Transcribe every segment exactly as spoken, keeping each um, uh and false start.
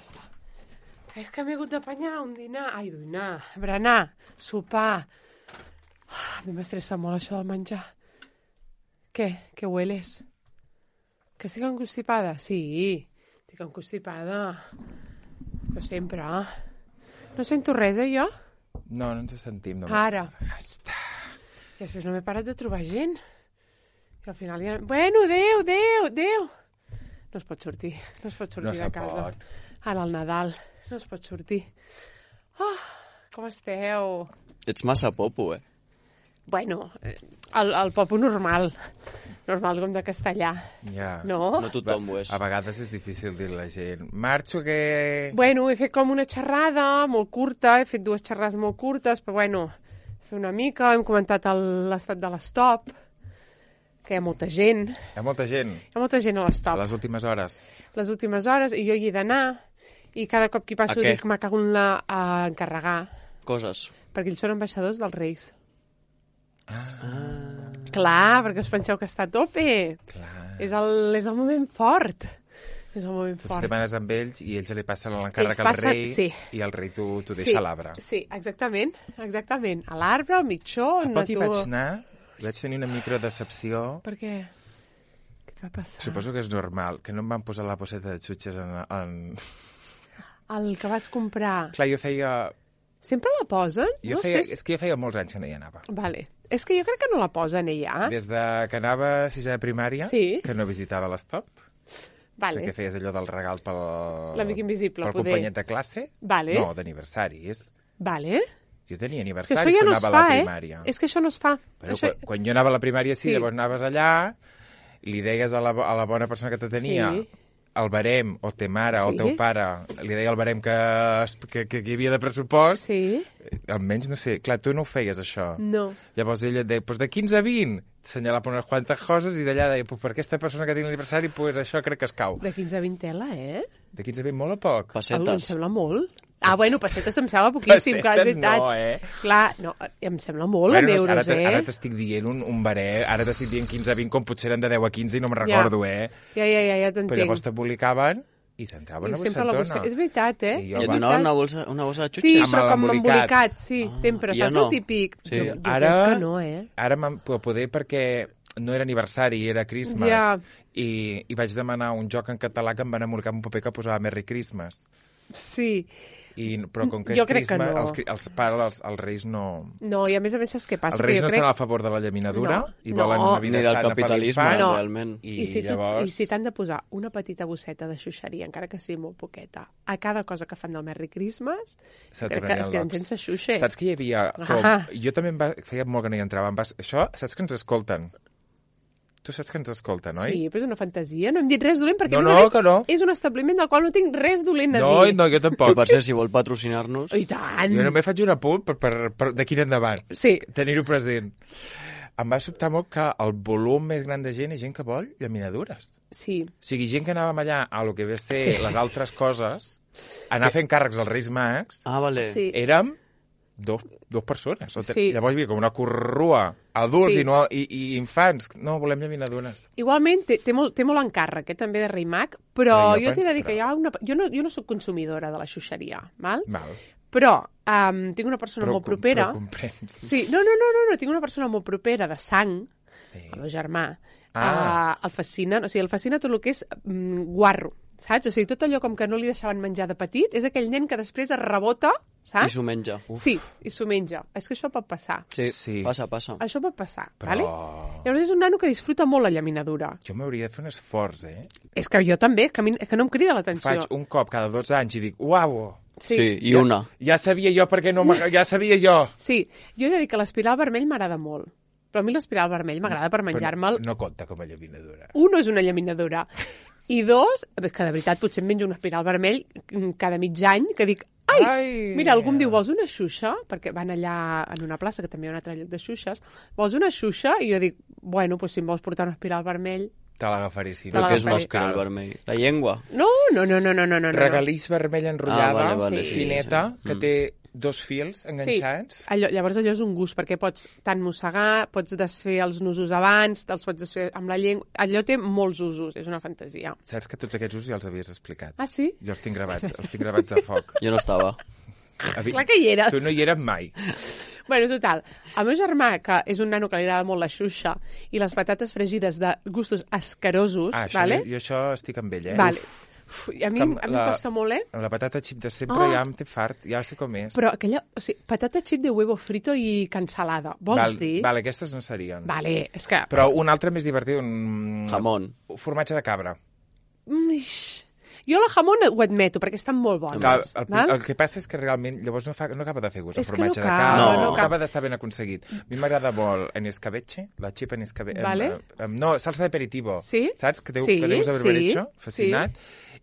està. És que m'he hagut d'apanyar un dinar... Ai, dinar, berenar, sopar... Ah, a mi m'estressa molt això del menjar. Què? Què hueles? Que estic encostipada? Sí, estic encostipada. Però sempre. No sento res, eh, jo? No, no ens sentim. No. Ara. I després no m'he parat de trobar gent. I al final ja... Bueno, adéu, adéu, adéu. No es pot sortir. No es pot sortir no de casa. Pot. Ara al Nadal. No es pot sortir. Oh, com esteu? Ets massa popo, eh? Bueno, el, el popo normal. Normal com de castellà. Ja. No? No tothom ho és. A vegades és difícil dir a la gent. Marxo que... Bueno, he fet com una xerrada molt curta, he fet dues xerrades molt curtes, però bueno, fer una mica, hem comentat l'estat de l'estop, que hi ha molta gent. Hi ha molta gent. Hi ha molta gent a l'estop. A les últimes hores. Les últimes hores, i jo hi he d'anar, i cada cop que hi passo dic, me cago en la a encarregar. Coses. Perquè ells són ambaixadors dels Reis. Ah. Clar, perquè us penseu que està a tope. Clar. És el, és el moment fort. És el moment tu fort. Tu demanes amb ells i ells li passen l'encàrrec al passen, rei sí. i el rei t'ho deixa sí, a l'arbre. Sí, exactament. exactament. A l'arbre, al mitjó... A no poc hi tu... vaig anar, vaig tenir una microdecepció. Per què? Què et va passar? Suposo que és normal, que no em van posar la bosseta de xutxes en... en... El que vas comprar... Clar, jo feia... Sempre la posen? Jo no feia... sé si... És que jo feia molts anys que no hi anava. Vale. És que jo crec que no la posen, ella. Des de que anava a sisè de primària, sí. que no visitava l'estop, vale. perquè feies allò del regal pel... L'amic invisible, pel poder. companyet de classe. Vale. No, d'aniversaris. Vale. Jo tenia és que aniversaris ja quan no anava fa, a la primària. Eh? És que això no es fa. Però això... quan, quan jo anava a la primària, sí, sí. llavors anaves allà, li deies a la, a la bona persona que te tenia... Sí. el barem, o te mare, sí. o el teu pare, li deia el barem que, que, que hi havia de pressupost, sí. almenys, no sé, clar, tu no ho feies, això. No. Llavors ella et deia, pues de quinze a vint, t'assenyalava unes quantes coses, i d'allà deia, pues per aquesta persona que tinc l'aniversari, pues això crec que es cau. De quinze a vint tela, eh? De quinze a vint, molt a poc. Pessetes. Em sembla molt. Ah, bueno, pessetes em sembla poquíssim, clar, és veritat. no, eh? Clar, no, em sembla molt, bueno, en euros, ara eh? Ara t'estic dient un, un baré, ara t'estic dient quinze a vint, com potser eren de deu a quinze i no me'n recordo, ja. eh? Ja, ja, ja, ja t'entenc. Però llavors t'embolicaven i t'entrava una bossetona. Bossa... És veritat, eh? I, I et donaven una bossa, una bossa de xutxes? Sí, amb però com embolicat. embolicat, sí, ah, sempre. ja Saps no. el típic? Sí. Jo, jo ara, crec que no, eh? Ara m'han poder perquè no era aniversari, era Christmas. Ja. I, I vaig demanar un joc en català que em van embolicar un paper que posava Merry Christmas. Sí. I, però com que és jo crec Christmas, que no. els, els pares, els, els reis no... No, i a més a més saps què passa? Els reis no crec... estan a favor de la llaminadura no, i volen no. una vida Ni del sana per capitalisme, l'infant. no. realment. I, I, si llavors... I si t'han de posar una petita bosseta de xuxeria, encara que sigui molt poqueta, a cada cosa que fan del Merry Christmas, crec que es queden sense xuxe. Saps que hi havia... Com... Ah. Jo també em va... feia molt que no hi entrava. Em vas... Això, saps que ens escolten? Tu saps que ens escolten, oi? Sí, però és una fantasia. No hem dit res dolent, perquè No, a més no, a més que no. és un establiment del qual no tinc res dolent a No, dir. no, jo Que tampoc. per cert, si vol patrocinar-nos... I tant! Jo només faig un apunt per, per, per d'aquí en endavant. Sí. Tenir-ho present. Em va sobtar molt que el volum més gran de gent és gent que vol llaminadures. Sí. O sigui, gent que anàvem allà a lo que ve a ser Sí. les altres coses, anar fent càrrecs als Reis Mags, Ah, vale. Sí. érem dos, dos persones. O te- Sí. Llavors hi havia com una corrua, adults Sí. i, no, i, i infants. No, volem llaminadures. Igualment, té, té, molt, té molt encàrrec, eh, també de Rei Mag, però, Però jo jo t'he de penso- dir que hi ha una... Jo no, jo no sóc consumidora de la xuxeria, val? Val. Però um, tinc una persona Però, molt propera... Però comprens. Sí, no, no, no, no, no, tinc una persona molt propera de sang, Sí. el meu germà, Ah. uh, el fascina, o sigui, el fascina tot el que és mm, guarro, saps? O sigui, tot allò com que no li deixaven menjar de petit, és aquell nen que després es rebota, I saps? s'ho menja. Sí, i s'ho menja. És que això pot passar. Sí, Sí. passa, passa. Això pot passar, Però- vale? Llavors és un nano que disfruta molt la llaminadura. Jo m'hauria de fer un esforç, eh? És que jo també, que, a mi, que no em crida l'atenció. Faig un cop cada dos anys i dic, uau, Sí, sí i una. ja sabia jo perquè no m'agrada, ja sabia jo. Sí, jo he de dir que l'espiral vermell m'agrada molt. Però a mi l'espiral vermell m'agrada per menjar-me'l. No compta com a llaminadura. Un, és una llaminadura. I dos, que de veritat potser em menjo un espiral vermell cada mig any, que dic, ai, Ai. mira, algú em diu, vols una xuxa? Perquè van allà en una plaça, que també hi ha un altre lloc de xuxes, vols una xuxa? I jo dic, bueno, doncs si em vols portar un espiral vermell, Te l'agafaré, sí. Te Però què és l'agafaré. mascle, el vermell? La llengua? No, no, no, no, no, no. no. Regalís vermella enrotllada, Ah, vale, vale, sí, fineta, sí. que Mm. té dos fils enganxats. Sí, allò, llavors allò és un gust, perquè pots tant mossegar, pots desfer els nusos abans, te'ls pots desfer amb la llengua... Allò té molts usos, és una fantasia. Saps que tots aquests usos ja els havies explicat. Ah, sí? Jo els tinc gravats, els tinc gravats a foc. Jo no estava. Avi... Clar que hi eres. Tu no hi eres mai. Bueno, total, el meu germà, que és un nano que li agrada molt la xuxa, i les patates fregides de gustos asquerosos, Ah, això, vale? jo, jo això estic amb ell, eh? Vale. Uf, i a mi, com a mi la- em costa molt, eh? Amb la patata xip de sempre Oh! ja em té fart, ja sé com és. Però aquella... O sigui, patata xip de huevo frito i cansalada. Vols Val, dir? vale, aquestes no serien. Vale, és que... Però un altre més divertit, un... Jamón. Un formatge de cabra. Mm, ix. Jo la jamón ho admeto, perquè estan molt Que, bones. el, val? el que passa és que realment llavors no, fa, no acaba de fer gust el És que formatge no de acaba, cabra, no no, acaba. acaba d'estar ben aconseguit. A mi m'agrada molt en escabeche, la xip en escabeche. Vale. No, salsa de aperitivo. Sí? Saps? Que, deu, Sí, que deus haver sí, hecho, fascinat.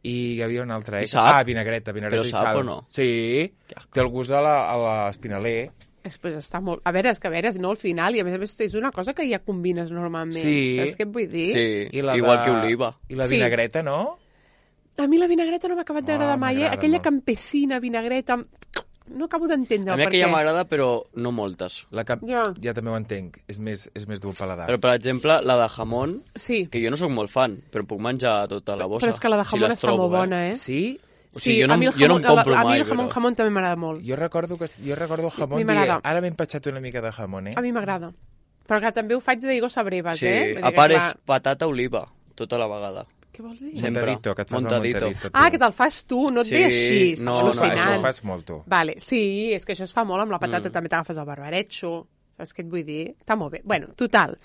I hi havia un altre. I Eh? sap? Ah, vinagreta, vinagreta Però i sap sal. o no? Que Sí, té el gust a la- a l'espinaler. Després està molt... A veure, és que a veure, no al final, i a més a més és una cosa que ja combines normalment. Sí. Saps què et vull dir? Sí, I la igual de... que oliva. I la Sí. vinagreta, no? A mi la vinagreta no m'ha acabat d'agradar Oh, mai, eh? m'agrada Aquella molt. campesina, vinagreta... No acabo d'entendre A el mi per aquella què. m'agrada, però no moltes. La cap... Ja. ja també ho entenc. És més, és més dur al paladar. Però, per exemple, la de jamón, Sí, que jo no sóc molt fan, però puc menjar tota la bossa. però és que la de si jamón les està trobo, molt bona, eh? Sí? O sigui, jo no a mi em- el jo no em jamón- compro a, a mi mai, el jamón, però- jamón també m'agrada molt. Jo recordo, que, jo recordo el jamón mi dient, m'agrada. ara m'he empatxat una mica de jamón, eh? A mi m'agrada. Però que també ho faig de Diego Sabreves, Sí, eh? Vull dir a que, part clar, és patata oliva, tota la vegada. Què vols dir? Sí. sempre. Montadito, que et fas Montadito. el montadito. tu. Ah, que te'l fas tu, no et Sí, ve així. no, Estàs no, Això al·lucinant. ho fas molt, tu. Vale, sí, és que això es fa molt amb la patata, Mm. també t'agafes el barbaretxo, saps què et vull dir? Està molt bé. Bueno, total,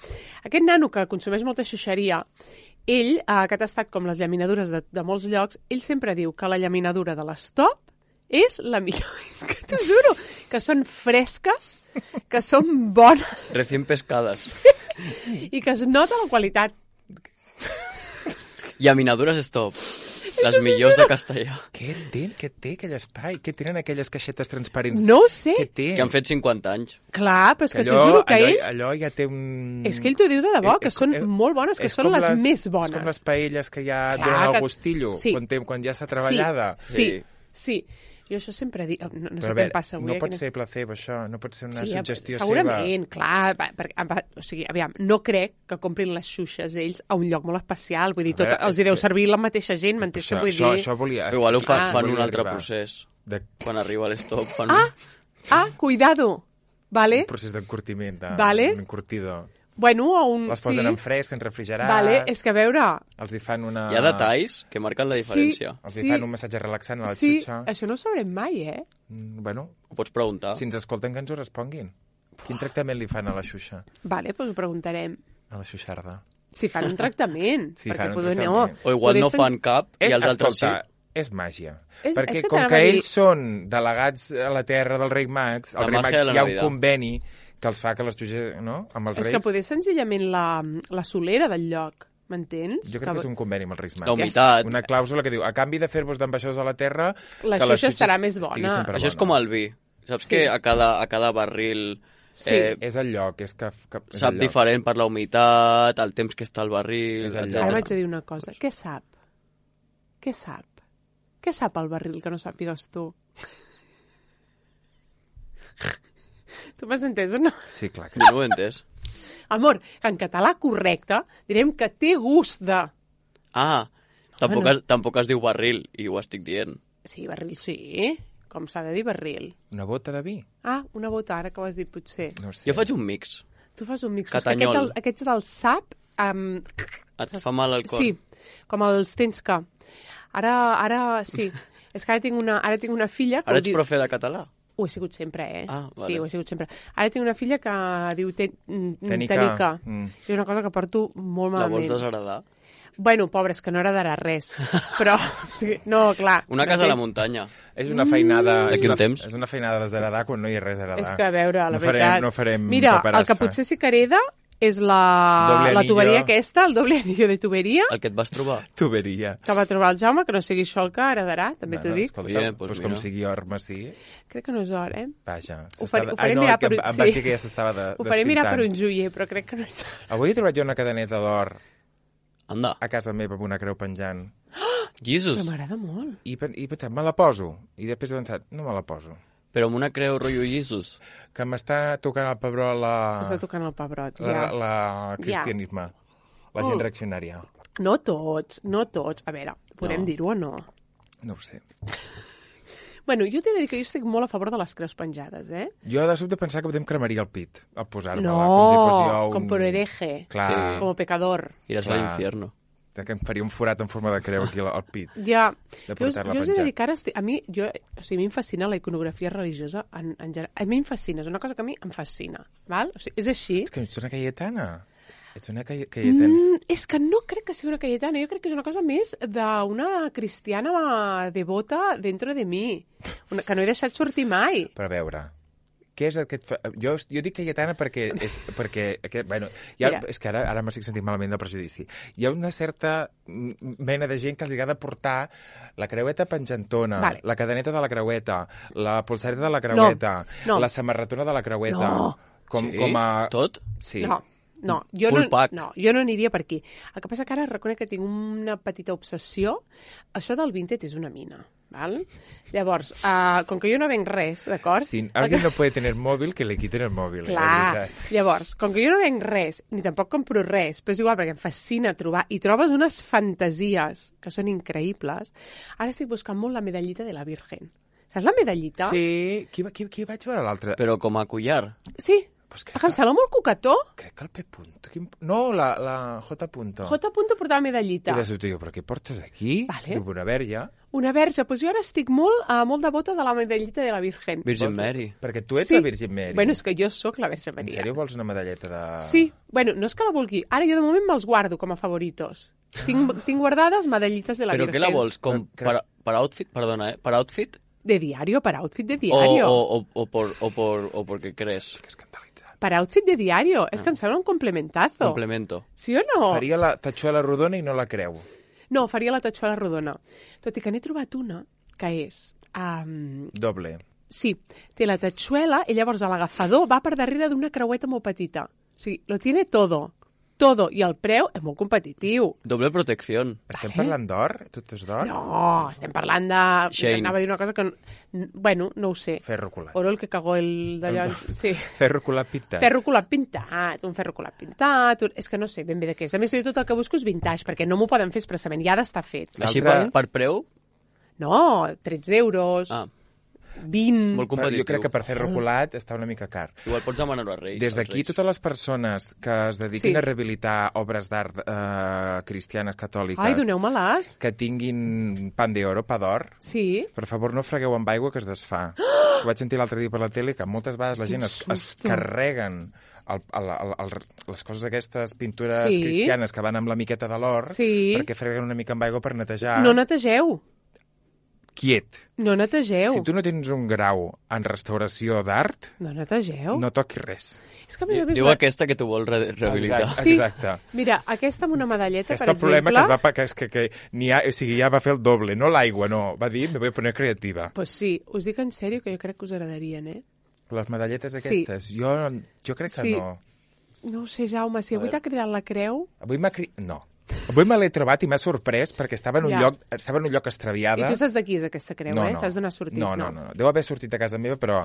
aquest nano que consumeix molta xuxeria, ell, eh, que ha tastat com les llaminadures de, de molts llocs, ell sempre diu que la llaminadura de l'Stop és la millor. És que t'ho juro, que són fresques, que són bones Recién pescades. i que es nota la qualitat. Llaminadures stop. Les millors de castellà. Què té, què té aquell espai? Què tenen aquelles caixetes transparents? No ho sé. Què té? Que han fet cinquanta anys. Clar, però és que allò, t'ho juro que allò, ell... allò ja té un... És que ell t'ho diu de debò, Eh, que eh, són eh, molt bones, que és són com les, més És bones. com les paelles que ja Clar, donen que- el gustillo, sí. quan, té, quan ja està treballada. Sí, Sí. sí. Jo això sempre dic... No, no sé Però a què veure, em passa avui. no eh, pot que ser placebo, això. No pot ser una sí, suggestió segurament, seva. clar. Va, per, va, o sigui, aviam, no crec que comprin les xuxes ells a un lloc molt especial. Vull dir, A tot, veure, els hi deu és que- servir la mateixa gent, m'entens què Això, vull això, dir? això volia... Però igual ho fan, Ah. fan un volia altre arribar. procés. De, Quan arriba l'estop fan... Ah, ah, cuidado, vale? un procés d'encurtiment, de, Vale. un encurtidor. Bueno, o un... Les sí. posen en fresc, en refrigerat, Vale, és que a veure... els hi fan una... Hi ha detalls que marquen la diferència. Els Sí. hi fan un massatge relaxant a la Sí, xutxa. això no ho sabrem mai, eh? Mm, Bueno, Ho pots preguntar. si ens escolten que ens ho responguin. Quin tractament li fan a la xuxa? Vale, doncs ho preguntarem. A la xuxarda? Si fan un tractament. Si perquè fan un poder, tractament. O igual poder no sen- fan cap i És, els altres sí. escolta, és màgia. És- Perquè és que com t'anava que a dir- ells són delegats a la terra del rei Max, La el rei màgia Max de la hi ha un Navidad. conveni que els fa que les xuxes, no?, amb els És reis... que poder senzillament la, la solera del lloc, m'entens? Jo crec que és un conveni amb els reis Max. La humitat. Una clàusula que diu, a canvi de fer-vos d'ambaixadors a la terra... La que les xuxa xuxes estarà més estigui bona. sempre Això és bona. com el vi. Saps Sí. que a cada, a cada barril Sí. eh, És el lloc, és que... que és sap el lloc. diferent per la humitat, el temps que està al barril, És el etcètera. Ara vaig a dir una cosa. Què sap? Què sap? Què sap el barril que no sàpigues tu? Tu m'has entès o no? Sí, clar. Que... Jo no ho he entès. Amor, que en català correcte direm que té gust de... Ah, tampoc, Bueno. es, tampoc es diu barril, i ho estic dient. Sí, barril sí. Com s'ha de dir barril? Una bota de vi? Ah, una bota, ara que ho has dit potser. No sé. Jo faig un mix. Tu fas un mix. És que Catanyol. aquest, el- aquests del sap... Um, Et fa mal al cor. sí, com els tens que... Ara, ara sí. És que ara tinc una, ara tinc una filla... Que Ara ho ets diu- profe de català? Ho he sigut sempre, eh? Ah, vale. Sí, ho he sigut sempre. Ara tinc una filla que diu ten, mm, Tenica. tenica. Mm. I és una cosa que porto molt La vols malament. desheredar? Bueno, pobres, que no heredarà res. Però, o sigui, no, clar. Una casa a la m'entens? muntanya. És una feinada... Mm. és D'aquí un una- temps. És una feinada desheredar quan no hi ha res a heredar. És que, a veure, la no farem, veritat... No farem Mira, el paperassa. que potser sí que hereda és la, Doble la anillo. tuberia aquesta, el doble anillo de tuberia, El que et vas trobar? Tuberia. que va trobar el Jaume, que no sigui això el que heredarà, també t'ho dic. Escolta, Bien, pues doncs com mira. sigui or massís, Crec que no és hora, eh? vaja. Ho s'està- faré- ho Ai, faré no, mirar que per em, un- em vas sí. dir que ja s'estava de, Ho faré mirar per despintant. un joier, però crec que no és hora. Avui he trobat jo una cadeneta d'or Anda, a casa meva amb una creu penjant. Jesus. Però m'agrada molt. I, pen- i he pensat, me la poso. I després he pensat, no me la poso. Però amb una creu rotllo Jesus. Que m'està tocant el pebró la... Està tocant el pebrot, la, ja. la cristianisme. La gent Mm. reaccionària. No tots, no tots. A veure, podem No. dir-ho o no? No ho sé. Bueno, jo t'he de dir que jo estic molt a favor de les creus penjades, eh? Jo de sobte pensava que em cremaria el pit al posar-me-la. No, com si fos jo un... com por hereje, Clar, Sí. como pecador. Iràs a Clar. l'infierno. que em faria un forat en forma de creu aquí al, al pit. Ja, De jo, us- portar-la jo us he de penjat. dir que ara estic, a mi, jo, o sigui, a mi em fascina la iconografia religiosa en, en general. A mi em fascina, és una cosa que a mi em fascina, val? O sigui, és així. És que ets una caietana. Ets una caie- caietana. Mm, és que no crec que sigui una cayetana, jo crec que és una cosa més d'una cristiana devota dentro de mi, una, que no he deixat sortir mai. Però a veure, què és el que et fa... Jo, jo dic caietana perquè... És, perquè aquest, bueno, ja, Mira. és que ara, ara m'estic sentint malament del prejudici. Hi ha una certa mm, mena de gent que els agrada portar la creueta penjantona, Vale. la cadeneta de la creueta, la polsareta de la creueta, no. la samarretona de la creueta. No. Com, Sí? com a... Tot? Sí. No, no, jo Full no, pack. no, jo no aniria per aquí. El que passa que ara reconec que tinc una petita obsessió. Això del Vinted és una mina, val? Llavors, uh, com que jo no venc res, d'acord? Si El alguien que- no puede tener móvil, que le quiten el móvil. Clar, és veritat. llavors, com que jo no venc res, ni tampoc compro res, però és igual perquè em fascina trobar, i trobes unes fantasies que són increïbles, ara estic buscant molt la medallita de la Virgen. Saps la medallita? Sí, qui, va- qui, qui vaig veure l'altre? Però com a collar. Sí, Pues que em sembla molt coquetó. Crec que el P. Punto. Quin... No, la, la J. Punto. J. portava medallita. I de sobte diu, però què portes aquí? Vale. Diu, una verge. Una verge, doncs jo ara estic molt, uh, molt devota de la medallita de la Virgen. Virgin Vols- Mary. Perquè tu ets Sí. la Virgin Mary. Bueno, és que jo sóc la Verge En Maria. sèrio vols una medalleta de... Sí, bueno, no és que la vulgui. Ara jo de moment me'ls guardo com a favoritos. Tinc, tinc guardades medallites de la Però Virgen. què la vols? Com Creus- per, per outfit? Perdona, eh? Per outfit? De diario, para outfit de O, diario. o, o, o, por, o, por, o porque crees? Que escandalitzat. Para outfit de diario. És que em sembla un complementazo. Complemento. Sí o no? Faria la tatxuela rodona i no la creu. No, faria la tatxola rodona. Tot i que n'he trobat una que és... Um, Doble. sí, té la tatxuela i llavors l'agafador va per darrere d'una creueta molt petita. O sigui, lo tiene todo. Todo. I el preu és molt competitiu. Doble protección. Estem Vale. parlant d'or? Tot és d'or? No, estem parlant de... Shane. Anava a dir una cosa que... no- Bueno, no ho sé. Ferro colat. Oro el que cagó el d'allò... Sí. Ferro colat pintat. Ferro colat pintat, un ferro colat pintat... Un... És que no sé ben bé de què és. A més, jo tot el que busco és vintage, perquè no m'ho poden fer expressament, ja ha d'estar fet. Així L'altre- per, per preu? No, tretze euros, Ah, vint... molt Però competitiu. jo crec que per ferro colat està una mica car. Igual pots demanar-ho a Reis. Des als d'aquí, Reis. totes les persones que es dediquin Sí. a rehabilitar obres d'art eh, cristianes catòliques Ai, doneu-me-les. que tinguin pan de oro, pa d'or, Sí. per favor no fregueu amb aigua que es desfà. Ho vaig sentir l'altre dia per la tele, que moltes vegades la Quin gent es, es susto. carreguen el, el, el, el, les coses aquestes, pintures Sí. cristianes que van amb la miqueta de l'or, Sí. perquè freguen una mica amb aigua per netejar. No netegeu. Quiet. No netegeu. Si tu no tens un grau en restauració d'art, No netegeu. no toquis res. És que a més a més... Diu la- aquesta que tu vols re rehabilitar. Exacte. Sí. Exacte. Mira, aquesta amb una medalleta, Aquest per el problema exemple... que, es va, pa- que, és que, que ni ha, o sigui, ja va fer el doble, no l'aigua, no. Va dir, me voy a poner creativa. Pues sí, us dic en sèrio que jo crec que us agradarien, eh? Les medalletes Sí. aquestes, jo, jo crec que Sí. no. No ho sé, Jaume, si A avui veure. t'ha cridat la creu... Avui m'ha cri... No. Avui me l'he trobat i m'ha sorprès perquè estava en un, Ja. lloc, estava en un lloc I extraviada. tu saps de qui és aquesta creu, no, eh? no. Saps d'on ha sortit, no, no, no, no. Deu haver sortit a casa meva, però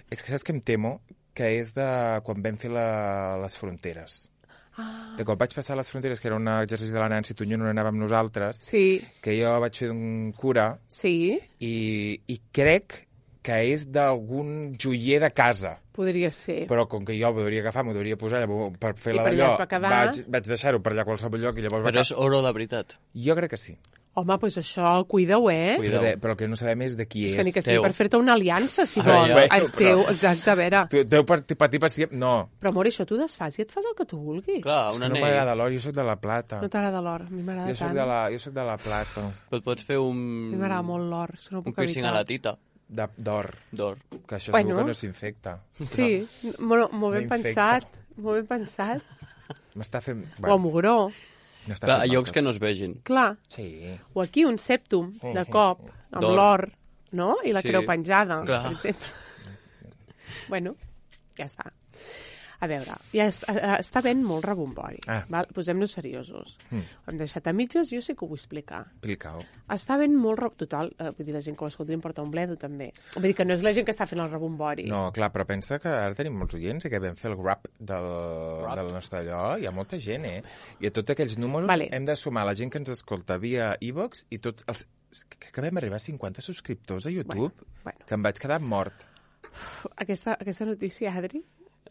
és que saps que em temo? Que és de quan vam fer la, les fronteres. Ah, De quan vaig passar les fronteres, que era un exercici de la Nancy Tunyón on anàvem nosaltres, sí, que jo vaig fer un cura sí, i, i crec que és d'algun joier de casa. podria ser. Però com que jo m'ho hauria agafar, m'ho hauria posar llavors, per fer I la per allà d'allò, es va quedar. vaig, vaig deixar-ho per allà a qualsevol lloc i llavors va Però és oro de veritat. Jo crec que sí. Home, doncs això, cuida-ho, eh? Cuida. Però, però el que no sabem és de qui És és. que ni que sigui teu. per fer-te una aliança, si Ah, vols. ja. Bueno, És teu, però- exacte, a veure. Tu deu patir, patir per sempre. No, Però, amor, això t'ho desfas i et fas el que tu vulguis. Clar, és un que no anell. m'agrada l'or, jo sóc de la plata. No t'agrada l'or, a mi m'agrada Jo sóc tant. de la, jo sóc de la plata. Però et pots fer A un... mi m'agrada molt l'or, és que no ho Un puc piercing a evitar. la tita, De- D'or. d'or. Que això Bueno. segur que no s'infecta. Sí, molt, molt ben No infecta. pensat, molt ben pensat. M'està fent... O a Mugró. m'està Clar, a fent llocs mal que tot. no es vegin. Clar, Sí. o aquí un sèptum de cop, amb D'or. l'or, no? I la Sí. creu penjada, Clar. per exemple. Bueno, ja està. A veure, ja es, a, està ben molt rebombori. Ah. Val? Posem-nos seriosos. Mm. Ho hem deixat a mitges, jo sí que ho vull explicar. Explica-ho. Està ben molt... Re... Total, eh, vull dir, la gent que ho escolta li importa un bledo, també. Vull dir que no és la gent que està fent el rebombori. No, clar, però pensa que ara tenim molts oients i que vam fer el rap del, del nostre allò. Hi ha molta gent, eh? I a tots aquells números Vale. hem de sumar la gent que ens escolta via iVox i tots els... Crec que vam arribar a cinquanta subscriptors a YouTube, Bueno, bueno. que em vaig quedar mort. Aquesta, aquesta notícia, Adri...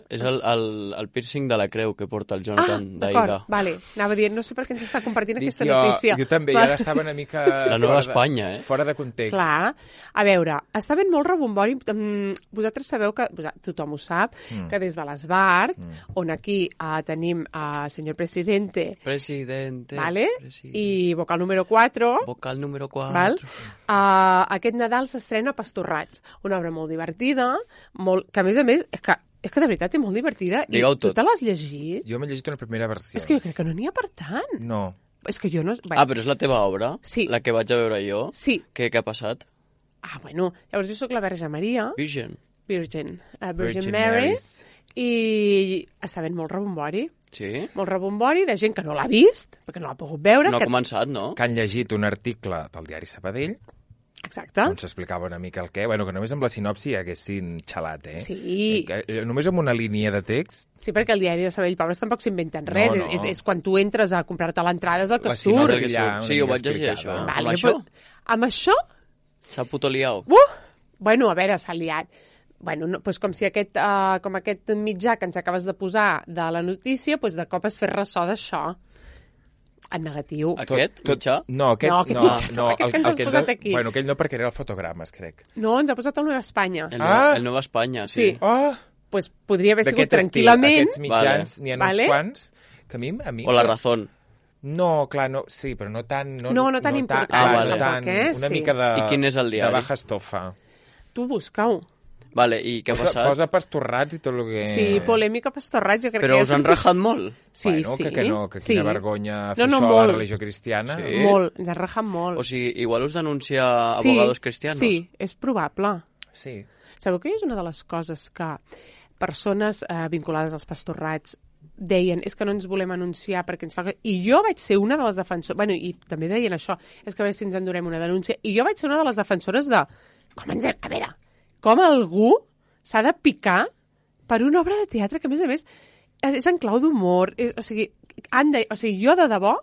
És el, el, el piercing de la creu que porta el Ah, Jonathan d'acord, d'Aida. vale. Anava dient, no sé per què ens està compartint Dic, aquesta jo, notícia. Jo també, i Val. ara estava una mica... La Nova fora de- Espanya, eh? Fora de context. Clar. A veure, està ben molt rebombori. Mm, Vosaltres sabeu que, tothom ho sap, Mm. que des de l'Esbart, mm. on aquí uh, tenim a uh, senyor presidente, Presidente. vale? presidente. I vocal número quatre, Vocal número quatre. val? Uh, aquest Nadal s'estrena Pastorrats, una obra molt divertida, molt, que a més a més, és que, és que de veritat és molt divertida. Digueu I tu tot. te l'has llegit? Jo m'he llegit una primera versió. És que jo crec que no n'hi ha per tant. No. És que jo no... Bé, Ah, però és la teva obra? Sí. La que vaig a veure jo? Sí. Què, què ha passat? Ah, bueno, llavors jo sóc la Verge Maria, Virgin. Virgin, uh, Virgin, Virgin Mary, Marys. i està ben molt rebombori. Sí? Molt rebombori de gent que no l'ha vist, perquè no l'ha pogut veure. No ha que... començat, no? Que han llegit un article del diari Sabadell Exacte. on s'explicava una mica el què. Bueno, que només amb la sinopsi haguessin xalat, eh? Sí. Eh, que, només amb una línia de text, Sí, perquè el diari de Sabell Pobres tampoc s'inventen res. No, no. És, és, és quan tu entres a comprar-te l'entrada és el que La surt. sinopsi que allà, surt. una Sí, ho mica vaig llegir, explicada. això. Vale, Amb jo això? pot- Amb això? S'ha putoliau. Uh! Bueno, a veure, s'ha liat. Bueno, no, doncs com si aquest, uh, com aquest mitjà que ens acabes de posar de la notícia, doncs de cop es fes ressò d'això. En negatiu. Aquest mitjà? No, aquest No, aquest no. mitjà no, aquest que ens has ens posat ha- aquí. Bueno, aquell no, perquè era el fotogrames, crec. No, ens ha posat el Nova Espanya. El, Ah! Nova, el Nova Espanya, sí. Sí. Oh! Pues podria haver sigut D'aquest estil, tranquil·lament. Aquests mitjans, Vale. n'hi ha Vale. uns quants, que a mi... A mi O la Razón. No, clar, no, sí, però no tan... No, No, no tan important, Ah, clar, vale. no tan, tampoc, eh? una Sí. mica de... I quin és el diari? De baja estofa. Tu busca-ho. Vale, i què ha Posa, passat? posa pastorrats i tot el que... Sí, polèmica pastorrat, jo crec Però que us ja han s'ha- rajat molt? Sí, bueno, sí. que, que no, que sí. quina vergonya fer No, no, això a molt. la religió cristiana. Sí. Molt, ens han rajat molt. O sigui, igual us denuncia abogados cristianos. Sí, és probable. Sí. Sabeu que és una de les coses que persones eh, vinculades als pastorrats deien, és que no ens volem anunciar perquè ens fa... I jo vaig ser una de les defensores... Bueno, i també deien això, és que a veure si ens endurem una denúncia. I jo vaig ser una de les defensores de... Com ens hem... A veure, com algú s'ha de picar per una obra de teatre que, a més a més, és, és en clau d'humor. És- O sigui, han de... o sigui, jo de debò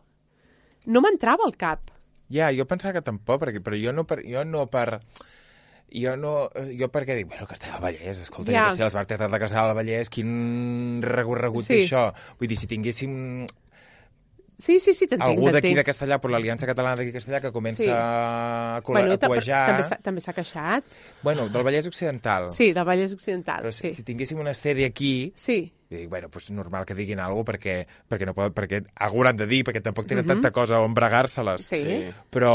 no m'entrava al cap. Ja, jo pensava que tampoc, perquè, però jo no per... Jo no per... Jo no... Jo perquè dic, bueno, Castellar del Vallès, escolta, Ja. ja. que sé, l'Esbart Teatral de Castellar del Vallès, quin recorregut Sí. té això? Vull dir, si tinguéssim Sí, sí, sí, t'entenc. algú d'aquí t'entenc. de Castellà, per l'Aliança Catalana d'aquí de Castellà, que comença Sí. a, col·la- Bueno, a ta- cuejar... també s'ha- també s'ha queixat. Bueno, del Vallès Occidental. Sí, del Vallès Occidental, Però sí. si, si tinguéssim una sèrie aquí, Sí, i dic, bueno, pues normal que diguin alguna cosa perquè, perquè, no poden, perquè algú hauran de dir, perquè tampoc tenen Mhm. tanta cosa on bregar-se-les. sí. Sí. Però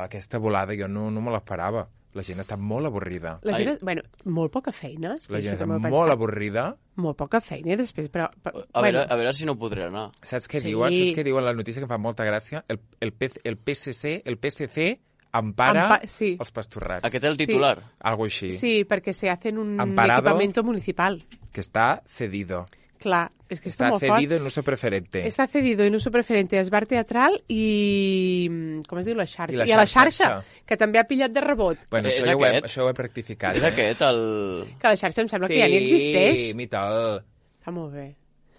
eh, aquesta volada jo no, no me l'esperava. La gent està molt avorrida. La gent, Ai. és, bueno, molt poca feina. La gent això està també ho he molt pensat. avorrida. Molt poca feina, i després, però... però A, bueno, veure, a veure si no podré anar. Saps què Sí. diuen? Saps què diuen la notícia que em fa molta gràcia? El, el, P C, el P C C, el P S C empara Empa- sí. els pastorrats. Aquest és el Sí. titular. Algo així. sí, perquè se hacen un Amparado. equipamiento municipal. Que està cedido. Clar, és que està, Està molt cedido fort. en uso preferente. Està cedido en uso preferente a Esbar Teatral i... com es diu? La xarxa. I la I a la xarxa. xarxa, que també ha pillat de rebot. Bueno, És això, ja ho he, aquest? això ho he practicat. És aquest, el... Que la xarxa em sembla que ja ni existeix. Sí, mi tal. Està molt bé.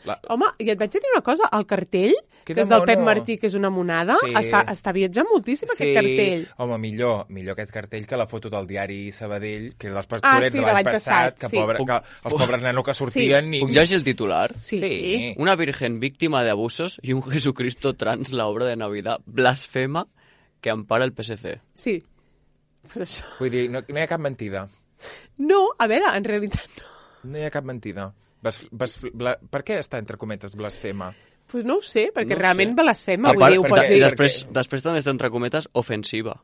La... Home, i et vaig a dir una cosa, el cartell, Que que és de del Pep mono. Martí, que és una monada, Sí. està, està viatjant moltíssim aquest cartell. Home, millor, millor aquest cartell que la foto del diari Sabadell, que era dels Ah, pastorets sí, de de l'any l'any passat, passat, que, sí. pobre, Puc- que els pobres nanos que sortien... Ni... Puc llegir el titular? Sí. Sí. Una virgen víctima de abusos y un Jesucristo trans, la obra de Navidad blasfema que ampara el P S C. Sí. Pues això. Vull dir, no, no hi ha cap mentida. No, a veure, en realitat no. No hi ha cap mentida. Bas, bas, bla, per què està entre cometes blasfema? Pues no ho sé, perquè No ho realment sé. blasfema, A vull part, dir, ho perquè- pots i dir. després, després també està entre cometes ofensiva,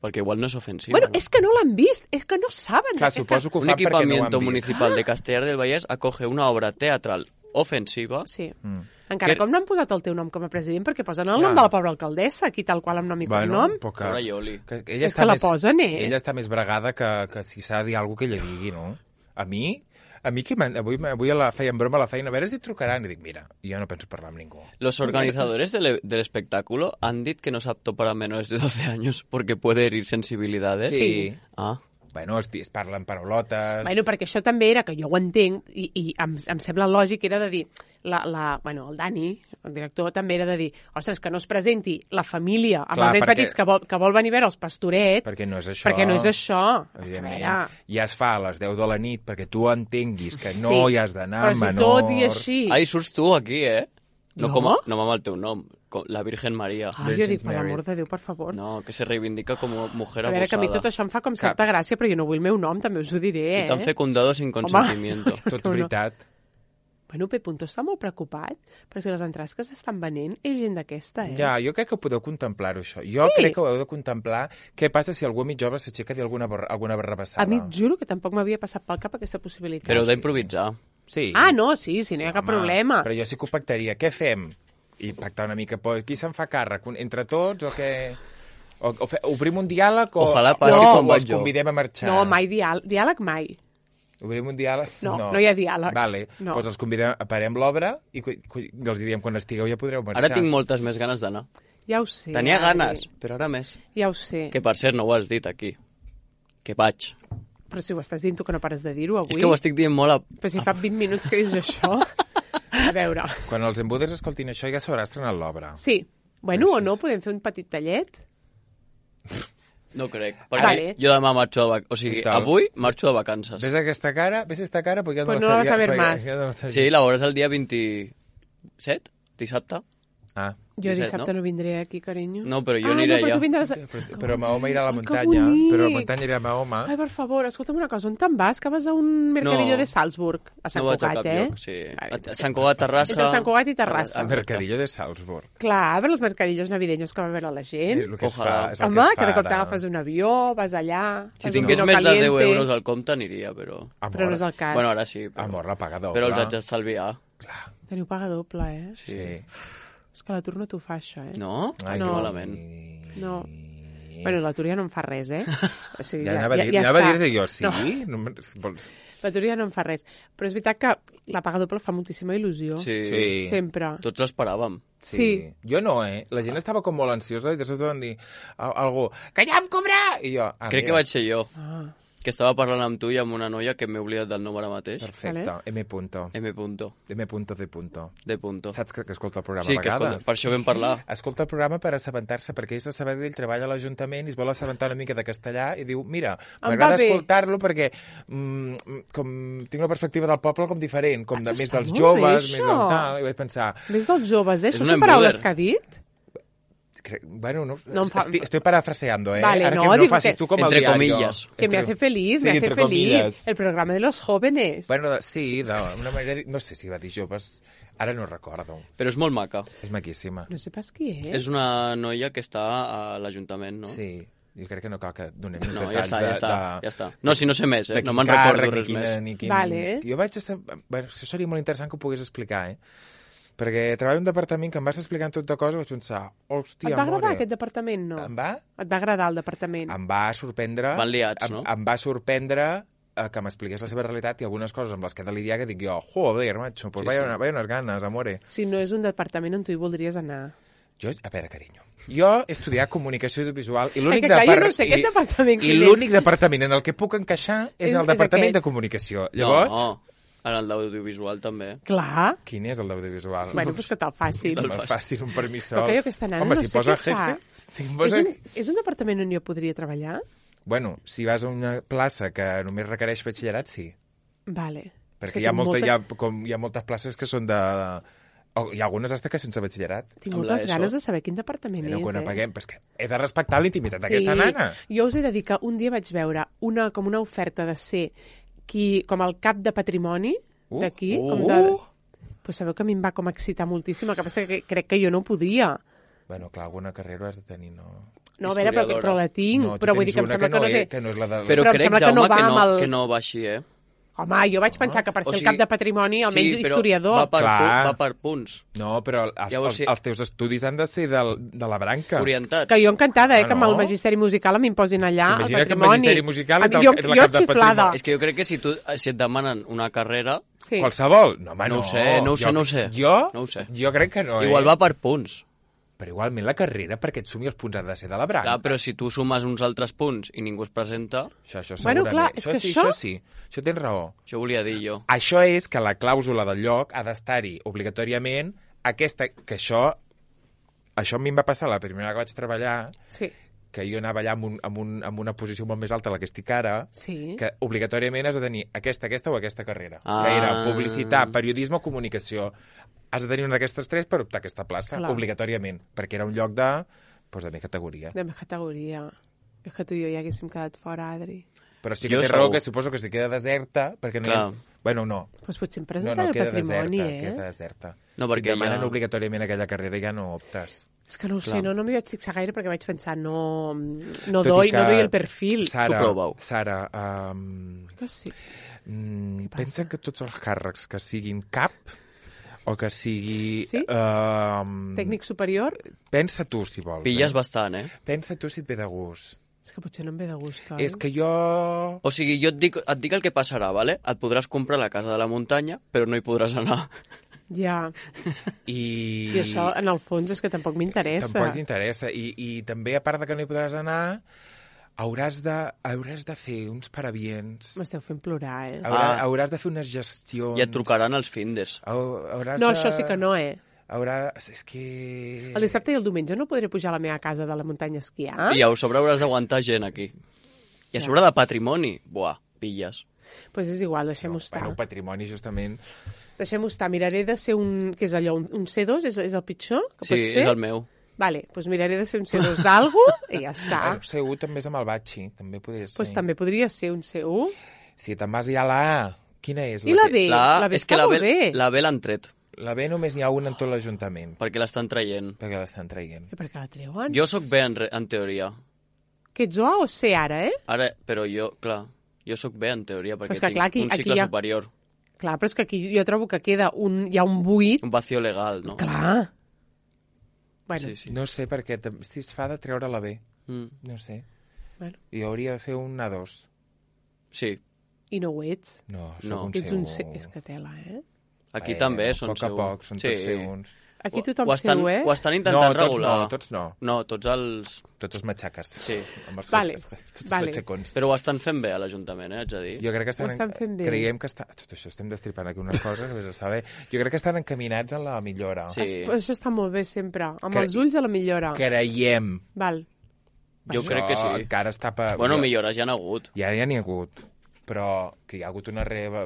perquè igual no és ofensiva. Bueno, no? és que no l'han vist, és que no saben. Clar, de què suposo que ho Un fan perquè no ho equipamiento han vist. municipal de Castellar del Vallès acoge una obra teatral ofensiva. Sí. Mm. Encara Que- com no han posat el teu nom com a president, perquè posen el Ja. nom de la pobra alcaldessa, aquí tal qual amb nom i Bueno, cognom. poca... Pobra Ioli. Que, ella És està que la més, posen, eh? Ella està més bregada que, que si s'ha de dir alguna cosa que ella digui, no? A mi, A mi que m'han- avui, avui a la, feien broma a la feina, a veure si et trucaran. I dic, mira, jo no penso parlar amb ningú. Los organizadores del, del espectáculo han dit que no es apto para menores de doce años porque puede herir sensibilidades. Sí. Ah, Bueno, es, es parlen paraulotes... Bueno, perquè això també era, que jo ho entenc, i, i em, em sembla lògic, era de dir, la, la, bueno, el Dani, el director, també era de dir, ostres, que no es presenti la família amb Clar, els nens perquè- petits que vol, que vol venir a veure els pastorets, Perquè no és això. perquè no és això. A Evidentment. veure, Ja es fa a les deu de la nit perquè tu entenguis que no Sí, hi has d'anar però si menors... tot i així... Ai, surts tu aquí, eh? No, Jo? com a, no amb el teu nom, com la Virgen Maria. Ai, jo Virgins dic, per l'amor Marys. de Déu, per favor. No, que se reivindica com a mujer A veure, que a mi tot abusada. això em fa com certa gràcia, però jo no vull el meu nom, també us ho diré, Y eh? tan fecundado sin consentimiento. Tot No, no. veritat. Bueno, P. Punto està molt preocupat, però si les entrades que s'estan venent és gent d'aquesta, eh? Ja, jo crec que podeu contemplar-ho, això. Jo Sí. crec que ho heu de contemplar. Què passa si algú a mig jove s'aixeca i alguna, borra- alguna barrabassada? A mi et juro que tampoc m'havia passat pel cap aquesta possibilitat. Però heu d'improvisar. Sí. Ah, no, sí, sí, no hi ha cap Home, problema. Però jo sí que ho pactaria. Què fem? I pactar una mica. Pues, qui se'n fa càrrec? Un- Entre tots o què? O, o fe, obrim un diàleg o, Ojalà o, passi o, com o els vaig jo. convidem a marxar? No, mai diàleg, diàleg mai. Obrim un diàleg? No, no hi ha diàleg. Vale, No. doncs els convidem, parem l'obra i cu- cu- els direm quan estigueu ja podreu marxar. Ara tinc moltes més ganes d'anar. Ja ho sé. Tenia Adri. ganes, però ara més. Ja ho sé. Que per cert no ho has dit aquí. Que vaig. Però si ho estàs dient tu que no pares de dir-ho avui. És que ho estic dient molt a... Però si fa vint minuts que dius això... A veure... Quan els embudes escoltin això ja s'haurà estrenat l'obra. Sí. Bueno, o no, podem fer un petit tallet? No crec. Perquè Vale. jo demà marxo de vacances. O sigui, Està. avui marxo de vacances. Ves aquesta cara? Ves esta cara? Pues, ja Pues me no la vas a ver estaria- más. ja no estaria- Sí, la veuràs el dia vint-i-set, dissabte. Ah, Jo disset, dissabte no? no vindré aquí, carinyo. No, però jo ah, aniré no, però allà. tu vindràs... A... però, però Mahoma irà a la Ai, que muntanya. bonic. Però a la muntanya irà a Mahoma. Ai, per favor, escolta'm una cosa, on te'n vas? Que vas a un mercadillo No. de Salzburg, a Sant No vaig a Cugat, cap eh? lloc, sí. Vale. A Sant Cugat, Terrassa... Entre Sant Cugat i Terrassa. El mercadillo de Salzburg. Clar, per els mercadillos navideños que va veure la gent. És el que es Ojalà. fa. És el Home, que, es que de fa cop ara. t'agafes un avió, vas allà... Si fas un tingués vino més de caliente. deu euros al compte aniria, però... Amor. Però no és el cas. Bueno, ara sí. Però, Amor, la paga doble. però els haig d'estalviar. Teniu paga doble, eh? Sí. Sí. És que l'atur no t'ho fa, això, eh? No? Ai, No. que malament. No. Bueno, l'atur ja no em fa res, eh? O sigui, Ja anava a dir, ja, ja anava a està. dir jo, sí? No, No. No, vols... l'atur ja no em fa res. Però és veritat que la paga doble fa moltíssima il·lusió. Sí. Sí. Sempre. Tots l'esperàvem. Sí. Jo no, eh? La gent estava com molt ansiosa i de sobte van dir a- algú, que ja em cobra! I jo, ah, Crec que mira, vaig ser jo, Ah, que estava parlant amb tu i amb una noia que m'he oblidat del nom ara mateix. Perfecte, Vale. M punto. M punto. M punto de punto. De punto. Saps que, que escolta el programa Sí, a que vegades? escolta, per això vam parlar. Escolta el programa per assabentar-se, perquè és de Sabadell, treballa a l'Ajuntament i es vol assabentar una mica de castellà i diu, mira, Em m'agrada va bé. escoltar-lo perquè mm, com tinc la perspectiva del poble com diferent, com Ah, de però més està dels molt joves, bé, més del això. tal, i vaig pensar, més dels joves, eh? És Això un són paraules embuder. que ha dit? cre- bueno, no, No em fa- estic, estoy parafraseando, ¿eh? Vale, Ara no, que no digo facis que- tu com el Entre diario. comillas. Que me Entre- hace feliz, Sí, me hace entre feliz. comillas. El programa de los jóvenes. Bueno, sí, d'una manera... No sé si va dir joves, ara no recordo. Però és molt maca. És maquíssima. No sé pas qui és. És una noia que està a l'Ajuntament, no? Sí, jo crec que no cal que donem No, detalls ja està, de, ja està, de, ja està. No, si no sé més, de eh? quin No me'n càrrec, recordo ni res quina, més. Ni quin... Vale. Jo vaig... A... Bueno, això seria molt interessant que ho pogués explicar, eh? Perquè treballo en un departament que em vas explicant tot de coses i vaig pensar, hòstia, Et va agradar more. aquest departament, no? Em va? Et va agradar el departament? Em va sorprendre... Van liats, em, no? Em va sorprendre eh, que m'expliqués la seva realitat i algunes coses amb les que he de lidiar que dic jo, joder, macho, pues Sí, vaya, sí. una- vaya unes ganes, amore. Si no és un departament on tu hi voldries anar. Jo, a veure, carinyo, jo he estudiat comunicació audiovisual i l'únic que clar, jo depart- no sé aquest i- departament I quin és. l'únic departament en el que puc encaixar és, És- el és departament aquest. de comunicació. Llavors, No, en el d'audiovisual també. Clar. quin és el d'audiovisual? Bueno, pues que te'l facin. No me facin un permissol. Però que jo aquesta nana Home, no si sé posa què jefe... fa. Si em És posa... un, és un departament on jo podria treballar? Bueno, si vas a una plaça que només requereix batxillerat, sí. Vale. És Perquè que hi ha, tinc molta, molta- hi, ha, com, hi ha moltes places que són de... O hi ha algunes hasta que sense batxillerat. Tinc Amb moltes l'ESO. ganes de saber quin departament Però és, quan eh? apaguem... Però és que he de respectar la intimitat d'aquesta nana. Jo us he de dir que un dia vaig veure una, com una oferta de ser qui, com el cap de patrimoni Uh, d'aquí. uh, com de... uh. Pues sabeu que a mi em va com excitar moltíssim, el que passa que crec que jo no podia. Bueno, clar, alguna carrera has de tenir, no... No, a veure, però, però la tinc, No, tu però vull tens dir que em una sembla que no, és- té... que no és la de... Però, Però em crec, sembla que Jaume, no va que, no, amb el- que no va així, eh? Home, jo vaig pensar que per O ser sigui, el cap de patrimoni, almenys sí, però historiador... Va per, Clar. pu va per punts. No, però els, Llavors, els, sí. els teus estudis han de ser del, de la branca. Orientats. Que jo encantada, eh, Ah, que amb el no? magisteri musical m'imposin allà el Imagina que amb patrimoni. magisteri musical A ets mi, el- jo, ets la jo cap de xiflada. patrimoni. És que jo crec que si, tu, si et demanen una carrera, Sí. Qualsevol? No, home, No no. ho sé, no ho sé, jo, no ho sé. Jo? No ho sé. Jo crec que no, igual eh? va per punts. Però igualment la carrera, perquè et sumi els punts, ha de ser de la branca. Clar, però si tu sumes uns altres punts i ningú es presenta, Això, això Bueno, segurament. clar, és això que sí, això- això sí. Això tens raó. això volia dir jo. Això és que la clàusula del lloc ha d'estar-hi obligatòriament aquesta, que això això a mi em va passar la primera vegada que vaig treballar, Sí, que jo anava allà amb, un, amb, un, amb una posició molt més alta de la que estic ara, sí. que obligatòriament has de tenir aquesta, aquesta o aquesta carrera. Ah. Que era publicitat, periodisme o comunicació. Has de tenir una d'aquestes tres per optar a aquesta plaça, Clar. obligatòriament, perquè era un lloc de, doncs, de més categoria. De més categoria. És que tu i jo ja haguéssim quedat fora, Adri. Però sí que Jo té raó segur. que suposo que si queda deserta, perquè no hi ha... Clar. Bueno, no. Doncs potser em No, presentaré no, el queda patrimoni, deserta, eh? queda deserta. No, si perquè et demanen ja- obligatòriament aquella carrera ja no optes. És que no ho Clar. sé, no, no m'hi vaig fixar gaire perquè vaig pensar, no, no, Tot i doy, que, no doy el perfil. Sara, Tu prova-ho. Sara, um, Que sí. mm, passa? pensa que tots els càrrecs que siguin cap o que sigui... Sí? Um, Tècnic superior? Pensa tu, si vols. Pilles eh? bastant, eh? Pensa tu si et ve de gust. És que potser no em ve de gust, oi? És que jo... O sigui, jo et dic, et dic el que passarà, vale? Et podràs comprar la casa de la muntanya, però no hi podràs anar. Ja. I... I això, en el fons, és que tampoc m'interessa. Tampoc t'interessa. I, I també, a part de que no hi podràs anar, hauràs de, hauràs de fer uns parabients. M'esteu fent plorar, eh? Haurà, Ah. Hauràs de fer unes gestions. I et trucaran els findes. Hau- Hauràs No, de... això sí que no, eh? Haurà... És que... El dissabte i el diumenge no podré pujar a la meva casa de la muntanya a esquiar? I a sobre hauràs d'aguantar gent aquí. I a Ja. sobre de patrimoni, buah, pilles. Doncs pues és igual, deixem-ho estar. Bueno, patrimoni, justament... Deixem-ho estar. Miraré de ser un... Què és allò? Un, un C dos? És, és el pitjor? Que Sí, pot ser? és el meu. Vale, doncs pues miraré de ser un C dos d'algú i ja està. Bueno, C u també és amb el batxi, també podria ser. Doncs pues també podria ser un C u. Si te'n vas ja a la A, quina és? I la que- B? La, la B és que està la molt B, bé. la B l'han tret, La B només n'hi ha una en tot l'Ajuntament, perquè l'estan traient. perquè l'estan traient. I per què la treuen? Jo sóc B en, re- en teoria. Que ets O o C ara, eh? Ara, però jo, clar, jo sóc B en teoria, perquè és que, tinc clar, aquí- un aquí cicle hi ha- superior. Clar, però és que aquí jo trobo que queda un... Hi ha un buit. Un vacío legal, no? Clar. Bueno, Sí, sí. No sé per què, tam- si es fa de treure la B, Mm, no sé. bueno. I hauria de ser un A dos. sí. I no ho ets. No, soc No. un Ets un C... C u. És que tela, eh? Aquí Eh, també a són poc a C u. poc, són sí. tots C uns. Aquí Ho- tothom ho estan, C u, eh? Ho estan No, intentant tots regular. no, tots no. No, tots els... Tots els matxaques. Sí. Amb els Vale, tots vale. els matxacons. Però ho estan fent bé a l'Ajuntament, eh, haig de dir. Jo crec que estan, Ho estan fent bé. creiem que està... Tot això estem destripant aquí unes coses que vés a saber. Jo crec que estan encaminats en la millora. Sí. Però això està molt bé sempre. Amb Cre- els ulls a la millora. Creiem. Val. Jo Això crec que sí. Encara està... Pa... Bueno, jo- millores ja n'ha hagut. Ja ja n'hi ha hagut. Però que hi ha hagut una reva...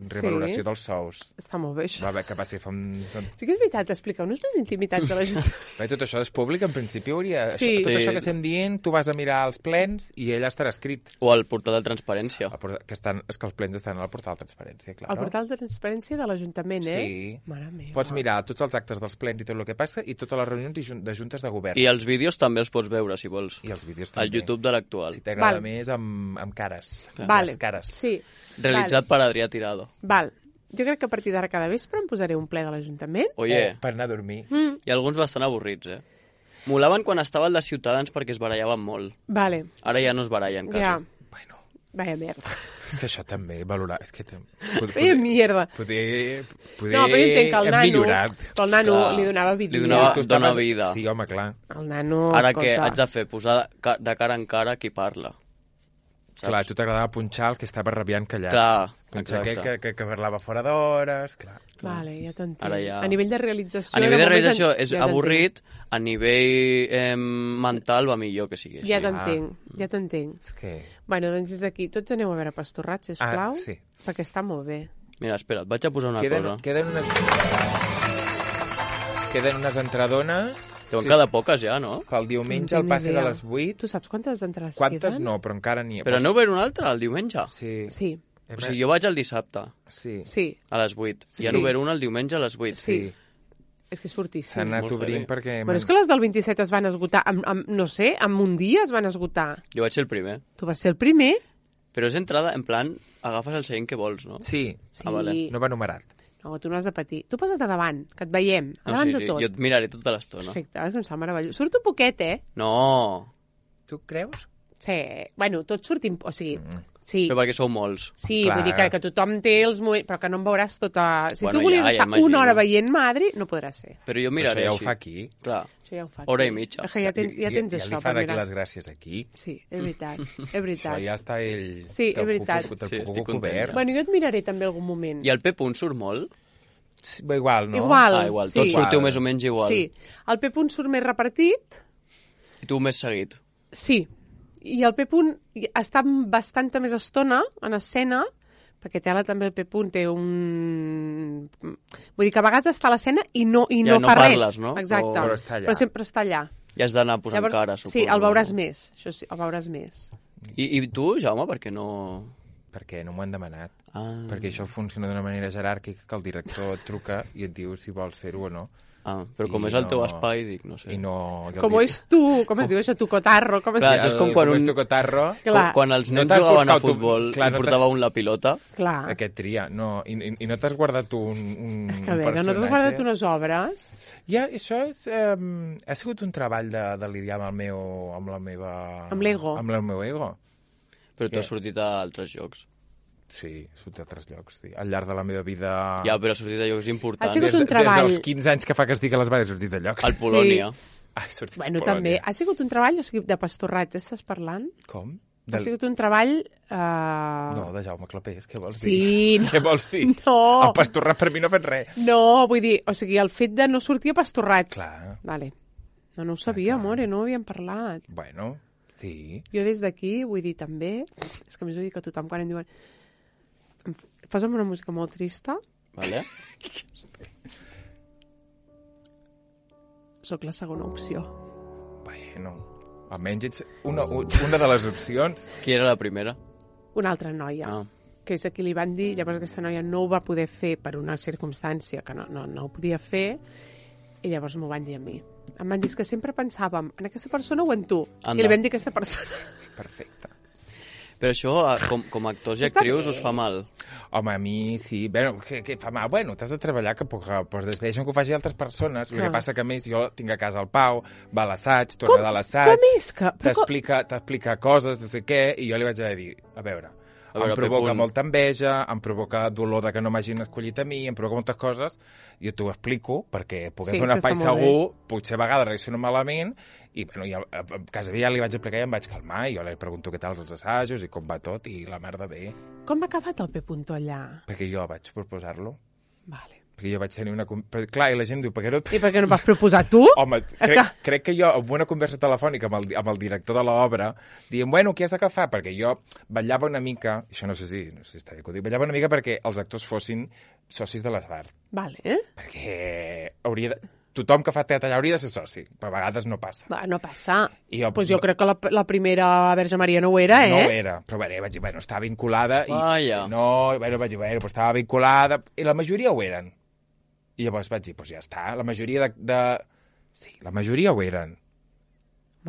revaloració Sí. dels sous. Està molt bé, això. Va haver que va ser fa un... fa- Sí que és veritat, expliqueu-nos les intimitats de l'Ajuntament. Bé, tot això és públic, en principi hauria... Sí. Això, tot Sí. això que estem dient, tu vas a mirar els plens i ella estarà escrit. O el portal de transparència. El portal- Que estan, és que els plens estan al portal de transparència, clar. El portal de transparència de l'Ajuntament, eh? Sí. Mare meva. Pots mirar tots els actes dels plens i tot el que passa i totes les reunions i jun- de juntes de govern. I els vídeos també els pots veure, si vols. I els vídeos també. Al YouTube de l'actual. Si t'agrada Val. més, amb, amb cares. Vale. Les cares. Sí. Realitzat per Adrià Tirado. Val. Jo crec que a partir d'ara cada vespre em posaré un ple de l'Ajuntament. Oye, O per anar a dormir. Mm. hi ha alguns bastant avorrits, eh? Molaven quan estava el de Ciutadans perquè es barallaven molt. Vale. Ara ja no es barallen, quasi. Ja. Bueno, Vaya merda. és que això també, valorar... És que... tam- Pod, Vaya mierda. poder, poder No, però jo entenc que el hem nano... millorat. Que el nano Clar. li donava vida. Li donava- Tu dona estaves- vida. Sí, home, clar. El nano... Ara escolta, què haig de fer? Posar de ca- de cara en cara qui parla. Saps? Clar, a tu t'agradava punxar el que estava rabiant callat. Clar, Punxar exacte. aquell que, que, que parlava fora d'hores, clar. Vale, ja t'entenc. Ara ja- A nivell de realització... A nivell de era molt més realització en- és ja t'entenc. avorrit, a nivell eh, mental va millor que sigui així. Ja t'entenc, ja t'entenc. És que... Bueno, doncs des d'aquí tots aneu a veure Pastorrat, sisplau, Ah, sí. perquè està molt bé. Mira, espera, et vaig a posar una Queden, cosa. queden unes... Queden unes entradones... Deuen quedar poques ja, no? Pel diumenge No al tinc passe de idea. les vuit. Tu saps quantes entrades Quantes queden? no, però encara n'hi ha. Però no veure un altre, el diumenge. Sí. Sí, O sigui, jo vaig el dissabte, Sí. sí, a les vuit. Sí. I ara veure un el diumenge a les vuit. sí. És que és fortíssim. S'han anat Molt obrint heavy. perquè... Bueno, és que les del vint-i-set es van esgotar, amb, amb, no sé, amb un dia es van esgotar. Jo vaig ser el primer. Tu vas ser el primer Però és entrada, en plan, agafes el seient que vols, no? Sí, Sí. Ah, vale. no va numerat. No, tu no has de patir. Tu posa't a davant, que et veiem. A No, davant sí, de sí, tot. jo et miraré tota l'estona. Perfecte, és un sant meravellós. Surto poquet, eh? No, Tu creus? Sí. Bueno, tots sortim... O sigui, sí. però perquè sou molts. Sí, Clar. vull dir que, que tothom té els moviments, però que no em veuràs tota... Si Bueno, tu volies ja, ja estar imagino. una hora veient Madri, no podràs ser. Però jo Però miraré això ja ho així. fa aquí. Clar. Això ja ho fa. Hora aquí. i mitja. És que ja tens, ja tens ja, això ja li per fan aquí mirar. les gràcies aquí. Sí, és veritat, és veritat. Això ja està ell... Sí, és te'l veritat. puc- te'l Sí, puc estic cobert. content. Bueno, jo et miraré també algun moment. I el P. Punt surt molt? Sí, va igual, no? Igual. Ah, igual. sí. Tots sortiu Igual. més o menys igual. Sí. El P. surt més repartit, I tu més seguit. sí. I el P. està bastanta més estona en escena, perquè Tela també el P. té un... Vull dir que a vegades està a l'escena i no, i Ja no, no fa parles, res. no? Exacte. O- Però està allà. Però sempre està allà. Ja has d'anar posant cara, suposo. sí, el veuràs més. Això sí, el veuràs més. I, I tu, Jaume, per què no... Perquè no m'ho han demanat. Ah, Perquè això funciona d'una manera jeràrquica, que el director et truca i et diu si vols fer-ho o no. ah però com I és el teu no- espai, dic, no sé. I no... i el Com di- és tu, com es diu això, tu cotarro, com es Clar, diu? això és com quan com un- és tu cotarro, Clar. Quan els No nens t'has jugaven a buscat tu- futbol clar, i no t'has- portava un la pilota, Clar. aquest tria. No, i, i, i no t'has guardat tu un, un, Que un bé, que no t'has guardat unes obres. Ja, això és, um, ha sigut un treball de, de lidiar amb el meu... amb la meva... Amb l'ego. Amb el meu ego. però tu Què? has sortit a altres llocs. Sí, surt d'altres llocs. Sí. Al llarg de la meva vida... Ja, però has sortit a llocs importants. Ha sigut des, un treball. Des dels quinze anys que fa que estic a les bares he sortit de llocs. Al Polònia. Ai, he sortit Bueno, a Polònia. també. Ha sigut un treball, o sigui, de pastorratge, estàs parlant? Com? Ha sigut un treball... Uh... No, de Jaume Clapés, què vols Sí, dir? no. Què vols dir? No. El pastorrat per mi no ha fet res. No, vull dir, o sigui, el fet de no sortir a pastorrats. Clar. Vale. No, no ho sabia, clar. amore, no ho havíem parlat. Bueno, sí. Jo des d'aquí vull dir també... És que a més ho dic a tothom quan em diuen... em f- Posa'm una música molt trista. Vale? Soc la segona opció. Bueno, almenys ets una, una de les opcions. Qui era la primera? Una altra noia. Ah. Que és a qui li van dir, llavors aquesta noia no ho va poder fer per una circumstància que no, no, no ho podia fer, i llavors m'ho van dir a mi. Em van dir "És que sempre pensàvem en aquesta persona o en tu. Anda. I li vam dir aquesta persona. Perfecte. Però això, eh, com, com a actors i Està actrius, bé. us fa mal. Home, a mi sí. Bueno, què, què fa mal? Bueno, t'has de treballar que puc, però deixen que ho faci altres persones. El Clar. que passa que, a més, jo tinc a casa el Pau, va a l'assaig, Com- torna de l'assaig, com és que- però com- t'explica t'explica coses, no sé què, i jo li vaig haver de dir, a veure, A veure, em provoca Pepun. molta enveja, em provoca dolor de que no m'hagin escollit a mi, em provoca moltes coses, jo t'ho explico, perquè puguem Sí, fer un això espai està molt segur, potser a vegades reacciono malament, i bueno, ja, a, a casa meva ja li vaig explicar i em vaig calmar, i jo li pregunto què tal els assajos i com va tot, i la merda bé, Com ha acabat el P. Punto allà? perquè jo vaig proposar-lo, Vale. perquè jo vaig tenir una... con- Però, clar, i la gent diu, per què no... I per què no vas proposar tu? Home, crec, crec que jo, amb una conversa telefònica amb el, amb el director de l'obra, dient, bueno, què has d'agafar? Perquè jo vetllava una mica, això no sé si, no sé si està bé que ho dic, vetllava una mica perquè els actors fossin socis de l'Esbart. Vale, eh? Perquè hauria de... Tothom que fa teatre allà hauria de ser soci, però a vegades no passa. Va, no passa. I jo- pues jo crec que la, la primera Verge Maria no ho era, eh? No ho era, però bé, vaig dir, bueno, estava vinculada i... Vaja. No, bueno, vaig dir, bueno, però estava vinculada, i la majoria ho eren. I llavors vaig dir, doncs ja està, la majoria de... de... Sí, la majoria ho eren.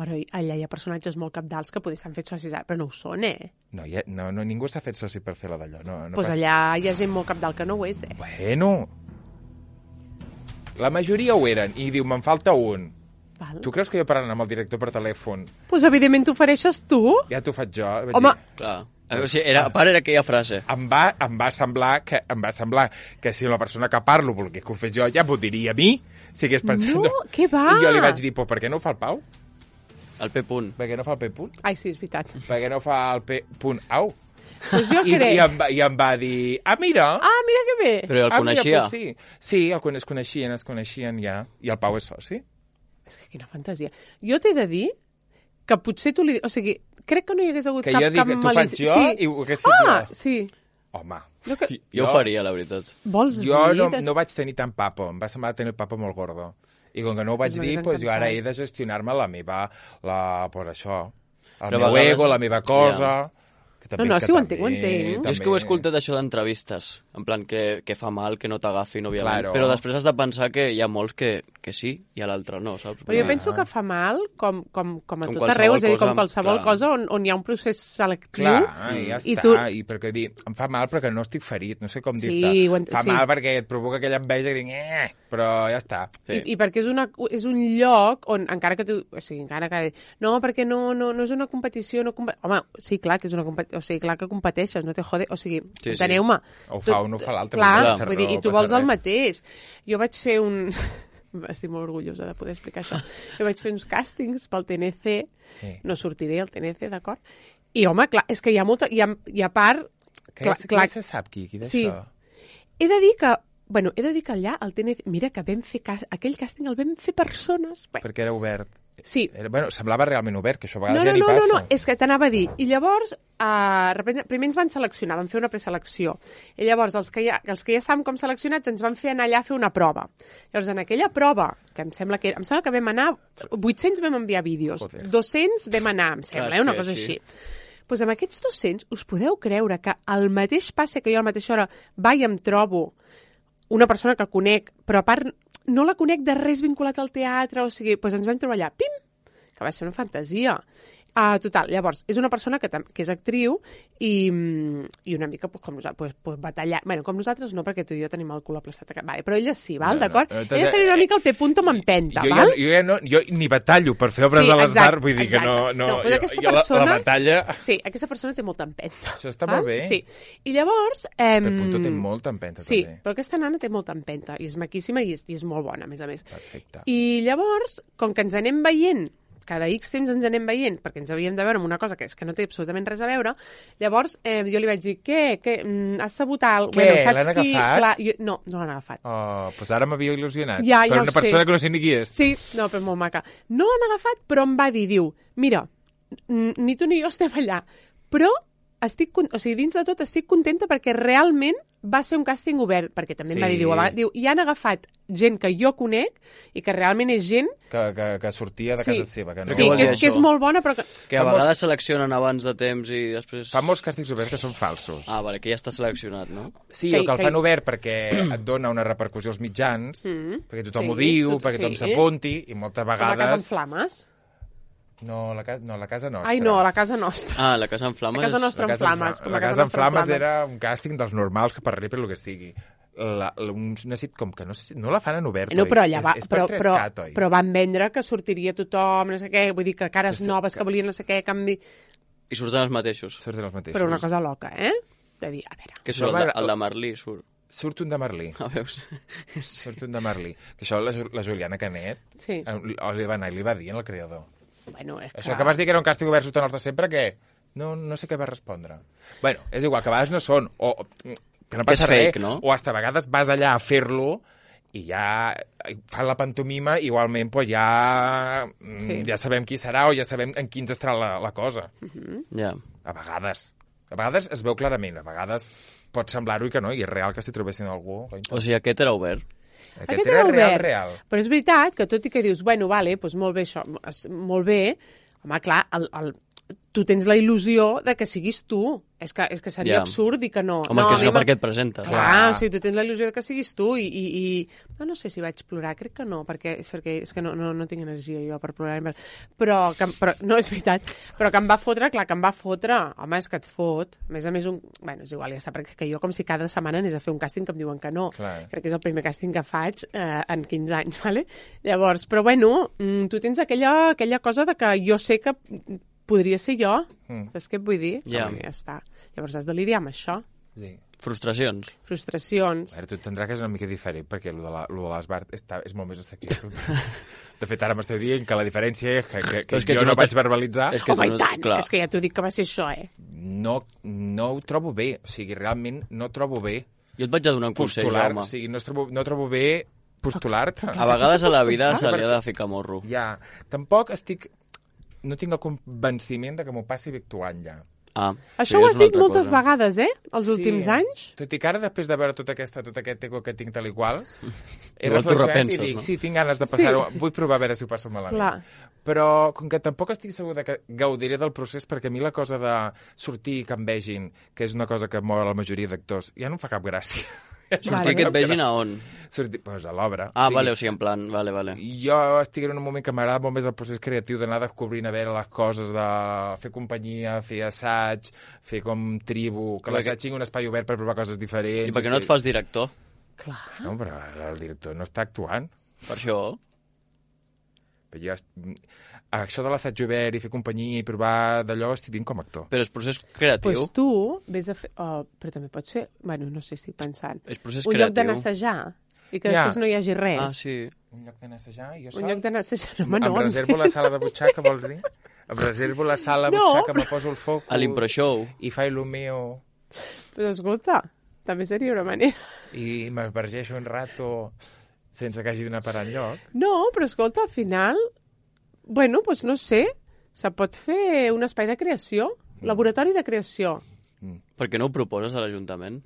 Però allà hi ha personatges molt capdals que potser s'han fet socis, ara, però no ho són, eh? No, ja, no, no, ningú s'ha fet soci per fer la d'allò. No, no pues passa. allà hi ha gent molt capdal que no ho és, eh? Bueno, la majoria ho eren, i diu, me'n falta un. Val. Tu creus que jo parlant amb el director per telèfon, Pues evidentment t'ofereixes tu. ja t'ho faig jo? Vaig Home, dir, Clar. O sigui, era, a part era aquella frase. em va, em va semblar que em va semblar que si la persona que parlo volgués que ho fes jo, ja m'ho diria a mi, si hagués pensat... No, què va? I jo li vaig dir, però per què no ho fa el Pau? El P. Punt. Per què no fa el P punt? Ai, sí, és veritat. Per què no fa el P punt au? Pues jo I, crec... i, em va, I em va dir, ah, mira... Ah, mira que bé. Però el ah, mira, coneixia. pues sí. Sí, el, con- es coneixien, es coneixien ja. I el Pau és soci. És que quina fantasia. Jo t'he de dir que potser tu li... O sigui, crec que no hi hagués hagut Que cap, jo dic, cap tu faig malícia. jo sí. i ho hagués fet Ah, jo. sí. Home, Jo que... Jo ho faria, la veritat. Vols jo dir... no, de- no vaig tenir tant papo, em va semblar tenir el papo molt gordo. I com que no ho vaig Pues dir, m'hagués pues jo ara encantat. he de gestionar-me la meva... La, per això, el Però a meu vegades- ego, la meva cosa... Ja. Que també, no, que sí, ho també, entenc, ho entenc. Jo és que ho he escoltat això d'entrevistes, en plan que, que fa mal, que no t'agafin, òbviament, Claro. però després has de pensar que hi ha molts que, que sí i a l'altre no, saps? Però jo Ah. penso que fa mal com, com, com a Com tot qualsevol arreu, és a dir, com cosa, qualsevol clar. cosa on, on hi ha un procés selectiu. Clar, i ja I està. tu- I perquè dir, em fa mal perquè no estic ferit, no sé com Sí, dir-te. ho ent- Fa sí. mal perquè et provoca aquella enveja que dic, eh, però ja està. Sí. I, I perquè és, una, és un lloc on, encara que tu... O sigui, encara que... No, perquè no, no, no és una competició... No comp... Home, sí, clar que és una competició... O sigui, clar que competeixes, no te jode... O sigui, Sí, sí. enteneu-me. O ho fa un o ho fa l'altre. Clar, no passa vull dir, res, i tu no passa vols el res. mateix. Jo vaig fer un... Estic molt orgullosa de poder explicar això. Jo vaig fer uns càstings pel T N C, Sí. no sortiré al T N C, d'acord? I, home, clar, és que hi ha molta... I a, i a part... Que clar, ja, clar, ja se sap qui, qui d'això. Sí. He de dir que... Bueno, he de dir que allà, al T N C... Mira, que vam fer... Cas, aquell càsting el vam fer persones... Bé, Perquè era obert. sí. Era, bueno, semblava realment obert, que això a vegades No, no, ja ni no, passa. no, no, és que t'anava a dir. I llavors, uh, primer ens van seleccionar, van fer una preselecció. I llavors, els que, ja, els que ja estàvem com seleccionats ens van fer anar allà a fer una prova. Llavors, en aquella prova, que em sembla que, em sembla que vam anar... vuit-cents vam enviar vídeos, Joder. dos-cents vam anar, em sembla, Clar, és eh, una que cosa sí. així. Doncs amb aquests dos-cents, us podeu creure que al mateix passe que jo a la mateixa hora vaig i em trobo una persona que conec, però a part no la conec de res vinculat al teatre, o sigui, doncs ens vam trobar allà, pim, que va ser una fantasia. Uh, total, llavors, és una persona que, tam- que és actriu i, mm, i una mica pues, com nosaltres, pues, pues, batallar... Bueno, com nosaltres no, perquè tu i jo tenim el cul aplastat. Vale, però ella sí, val, No, no, d'acord? no, no, Ella seria una mica el P-punto m'empenta, jo, val? Jo, jo, ja no, jo ni batallo per fer obres Sí, de les exacte, d'art, vull dir que no... exacte. no, No, però jo, aquesta jo la, persona- la batalla... Sí, aquesta persona té molta empenta. Això està val? molt bé. Sí. I llavors... Eh, El punto té molta empenta, Sí, també. però aquesta nana té molta empenta i és maquíssima i és, i és molt bona, a més a més. Perfecte. I llavors, com que ens anem veient, cada X temps ens anem veient, perquè ens havíem de veure amb una cosa que és que no té absolutament res a veure, llavors eh, jo li vaig dir, què, què, mm, has sabut alguna Què, bueno, saps l'han qui... agafat? Clar, jo... No, no l'han agafat. Oh, doncs ara m'havia il·lusionat. Ja, per ja ho una persona sé. que no sé ni qui és. Sí, no, però molt maca. No l'han agafat, però em va dir, diu, mira, n- ni tu ni jo estem allà, però estic, con- o sigui, dins de tot estic contenta perquè realment va ser un càsting obert, perquè també em va Sí. dir, diu, a vegades- diu, i han agafat gent que jo conec i que realment és gent... Que, que, que sortia de Sí. casa seva. Que no... Sí, vol que dir és, que és això? molt bona, però que... Que a Fa molts- vegades seleccionen abans de temps i després... Fa molts càstigs oberts que són falsos. Ah, vale, que ja està seleccionat, no? Sí, Que- o que el que- fan obert perquè et dona una repercussió als mitjans, Mm. perquè tothom Sí, ho diu, tot- perquè tothom sí. s'apunti, i moltes Com a casa en vegades... flames. No, la, ca... no, la casa nostra. Ai, no, a la casa nostra. Ah, la casa en flames... La casa nostra. La en casa en flames, Fla- com la a casa casa en nostra en flames flames. era un càsting dels normals que per per el que sigui. La, la, un, una sitcom que no, sé si- no la fan en obert, No, oi? però allà va, és, és per però, tres però, cat, oi? però van vendre que sortiria tothom, no sé què, vull dir que cares Que sí, noves que- que volien no sé què, canvi... I surten els mateixos. Surten els mateixos. Però una cosa loca, eh? De dir, a veure... Que surt No el, de, m'agrada- el de Merlí, surt. Surt un de Merlí. Ah, veus? Surt un de Merlí. Que això la, Ju- la Juliana Canet Sí. eh, li va anar i li va dir al creador. Bueno, és Això que vas dir que era un càstig obert sota nostre sempre, què? No, no sé què va respondre. Bueno, és igual, que a vegades no són, o, o que no Que passa és fake, res, no? o hasta a vegades vas allà a fer-lo i ja fan la pantomima, igualment pues ja, mm, Sí. ja sabem qui serà o ja sabem en quins estarà la, la cosa. Ja. A vegades. A vegades es veu clarament, a vegades pot semblar-ho i que no, i és real que si trobessin algú... O sigui, aquest era obert. Aquest, Aquest era, era real, obert. real. Però és veritat que tot i que dius, bueno, vale, doncs molt bé això, es- molt bé, home, clar, el, el, tu tens la il·lusió de que siguis tu. És que, és que seria Ja. absurd dir que no. Home, no, que a si mi no, per m'ha- què et presentes? Clar, Clar. o sigui, tu tens la il·lusió de que siguis tu i... i, i... No, no sé si vaig plorar, crec que no, perquè és, perquè és que no, no, no tinc energia jo per plorar. Però, que, però, no, és veritat, però que em va fotre, clar, que em va fotre. Home, és que et fot. A més a més, un... bueno, és igual, ja està, perquè que jo com si cada setmana anés a fer un càsting que em diuen que no. Clar. Crec que és el primer càsting que faig eh, en quinze anys, ¿vale? Llavors, però bueno, mm, tu tens aquella, aquella cosa de que jo sé que podria ser jo. Mm. Saps què et vull dir? Ja. Home, ja està. Llavors has de lidiar amb això. Sí. Frustracions. Frustracions. A veure, tu entendràs que és una mica diferent, perquè lo de la- lo de l'Esbart està, és molt més assequible. De fet, ara m'esteu dient que la diferència és que, que, que, Però és que jo tu no no vaig t'has- verbalitzar. és que Home, tu i no- tant, clar. és que ja t'ho dic que va ser això, eh? No, no ho trobo bé. O sigui, realment no trobo bé Jo et vaig a donar un consell, postular. Jaume. O sigui, no, es trobo, no trobo bé postular-te. A vegades a la vida Postular? se li ha de ficar morro. Ja, tampoc estic... No tinc el convenciment de que m'ho passi bé actuant ja. Ah, Això sí, ho és has una dit altra moltes cosa. vegades, eh? Els Sí. últims anys. Tot i que ara, després de veure tot, aquesta, tot aquest ego que tinc tal i qual, he Igual t'ho reflexionat i repenses, dic, no? sí, tinc ganes de passar-ho, vull provar a veure si ho passo malament. Clar. Però, com que tampoc estic segur de que gaudiré del procés, perquè a mi la cosa de sortir i que em vegin, que és una cosa que mou a la majoria d'actors, ja no em fa cap gràcia. Sortir que et vegin a on? Sortir, pues, a l'obra. Ah, O sigui, vale, o sigui, en plan, vale, vale. jo estic en un moment que m'agrada molt més el procés creatiu d'anar descobrint a veure les coses, de fer companyia, fer assaig, fer com tribu, que I l'assaig perquè- tingui un espai obert per provar coses diferents. I per què no et fas director? Clar. No, però el director no està actuant. Per això? Però jo, est- això de l'assaig obert i fer companyia i provar d'allò estic dint com a actor. Però és procés creatiu. Doncs pues tu vés a fer... Oh, però també pots fer... Bueno, no sé si estic pensant. És procés Un creatiu. lloc d'anar a assajar i que Ja. després no hi hagi res. Ah, sí. Un lloc d'anar a assajar i jo Un sol? lloc d'anar a assajar. No, home, no, em en reservo la sala de butxaca, vols dir? Em reservo la sala de No. butxaca, me poso el foc A l'impro show. i faig el meu Però escolta, també seria una manera. i m'esvergeixo un rato sense que hagi d'anar a parar enlloc. No, però escolta, al final... Bueno, doncs no sé, se pot fer un espai de creació, laboratori de creació. Per què no ho proposes a l'Ajuntament?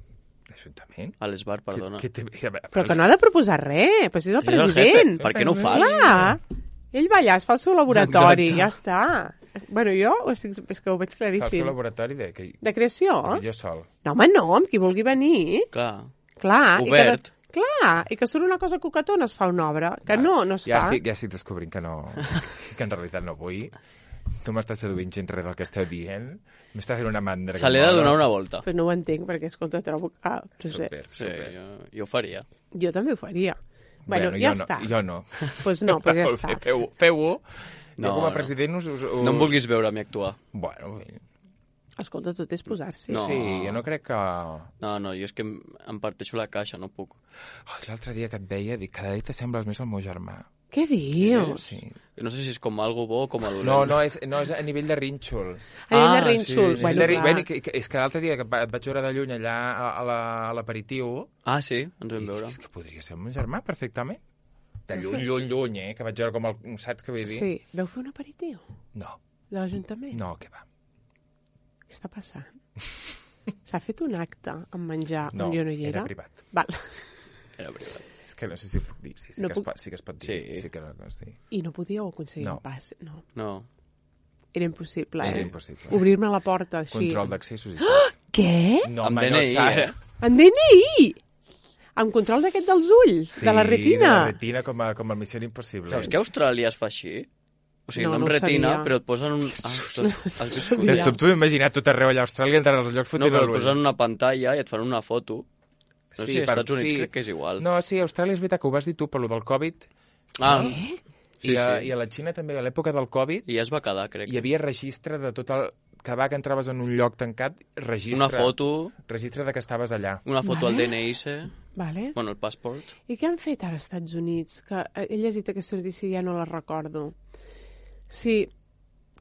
L'Ajuntament? A l'Esbar, perdona. Que, que té... Però que no ha de proposar res, però si és el És el president. jefe. Per què no ho fas? Clar, ell va allà, es fa el seu laboratori, Exacte. ja està. Bueno, jo ho estic, és que ho veig Fa el seu claríssim. laboratori de... Que, De creació? que jo sol. No, home, no, amb qui vulgui venir. Clar. Clar. I Obert. que, de- clar, i que surt una cosa coquetona es fa una obra, que no, no es Ja fa. estic, ja estic descobrint que no... que en realitat no vull. Tu m'estàs seduint gens res del que esteu dient. M'estàs fent una mandra. Se li ha de donar una volta. Però no ho entenc, perquè, escolta, trobo... Ah, no sé. Super, Sí, super. jo, jo ho faria. Jo també ho faria. Bueno, Bueno, ja jo està. No, jo no. Pues no, pues ja Molt està. bé, Feu-ho. Feu-ho. No, jo com a no. president us... us, us... No em vulguis veure a mi actuar. Bueno, Escolta, tot és posar-s'hi. No. sí, jo no crec que... No, no, jo és que em, em parteixo la caixa, no puc. Oh, l'altre dia que et veia, dic, cada dia t'assembles més al meu germà. Què dius? Sí. No sé si és com algo bo o com a dolent. No, no és, no és a nivell de rínxol. A nivell de Ah, rínxol. sí. Bueno, de, ri- clar. bueno, que, que, és que l'altre dia que va- et vaig veure de lluny allà a, a la- a l'aperitiu, Ah, sí? Ens vam i veure. és que podria ser el meu germà perfectament. De lluny, lluny, lluny, eh? Que vaig veure com el... Saps què vull dir? Sí. Veu fer un aperitiu No, de l'Ajuntament? no, què va. Què està passant? S'ha fet un acte amb menjar No, on jo no hi era? era privat. Val. Era veritat. És que no sé si puc dir. Sí, sí, No que, puc- es pot, sí que es pot dir. Sí. sí que no, no es dir. I no podíeu aconseguir No. un pas? No. No. Era impossible, eh? Era impossible. Obrir-me la porta així. Control d'accessos i tot. Què? No, Amb home, D N I, no saps. eh? En D N I! Amb control d'aquest dels ulls, de la retina. de la retina, com a, com a Missió Impossible. Saps que a Austràlia es fa així? O sigui, No, no, no amb ho retina, sabia. però et posen un... Ah, tot, has viscut. De sobte m'he imaginat tot arreu allà a Austràlia, entrar als llocs No, fotent però l'ull. et posen una pantalla i et fan una foto. No sé, Sí, als per- Estats Units sí. crec que és igual. No, sí, a Austràlia és veritat que ho vas dir tu, per lo del Covid. Ah, Eh? Sí, I, a, sí. I a la Xina també, a l'època del Covid, i ja es va quedar, crec. hi havia registre de tot el... Cada vegada que entraves en un lloc tancat, registre... Una foto, Registre de que estaves allà. una foto Vale. al D N I, C, Vale. bueno, el passport. I què han fet ara als Estats Units? Que he llegit aquesta notícia i ja no la recordo. Sí,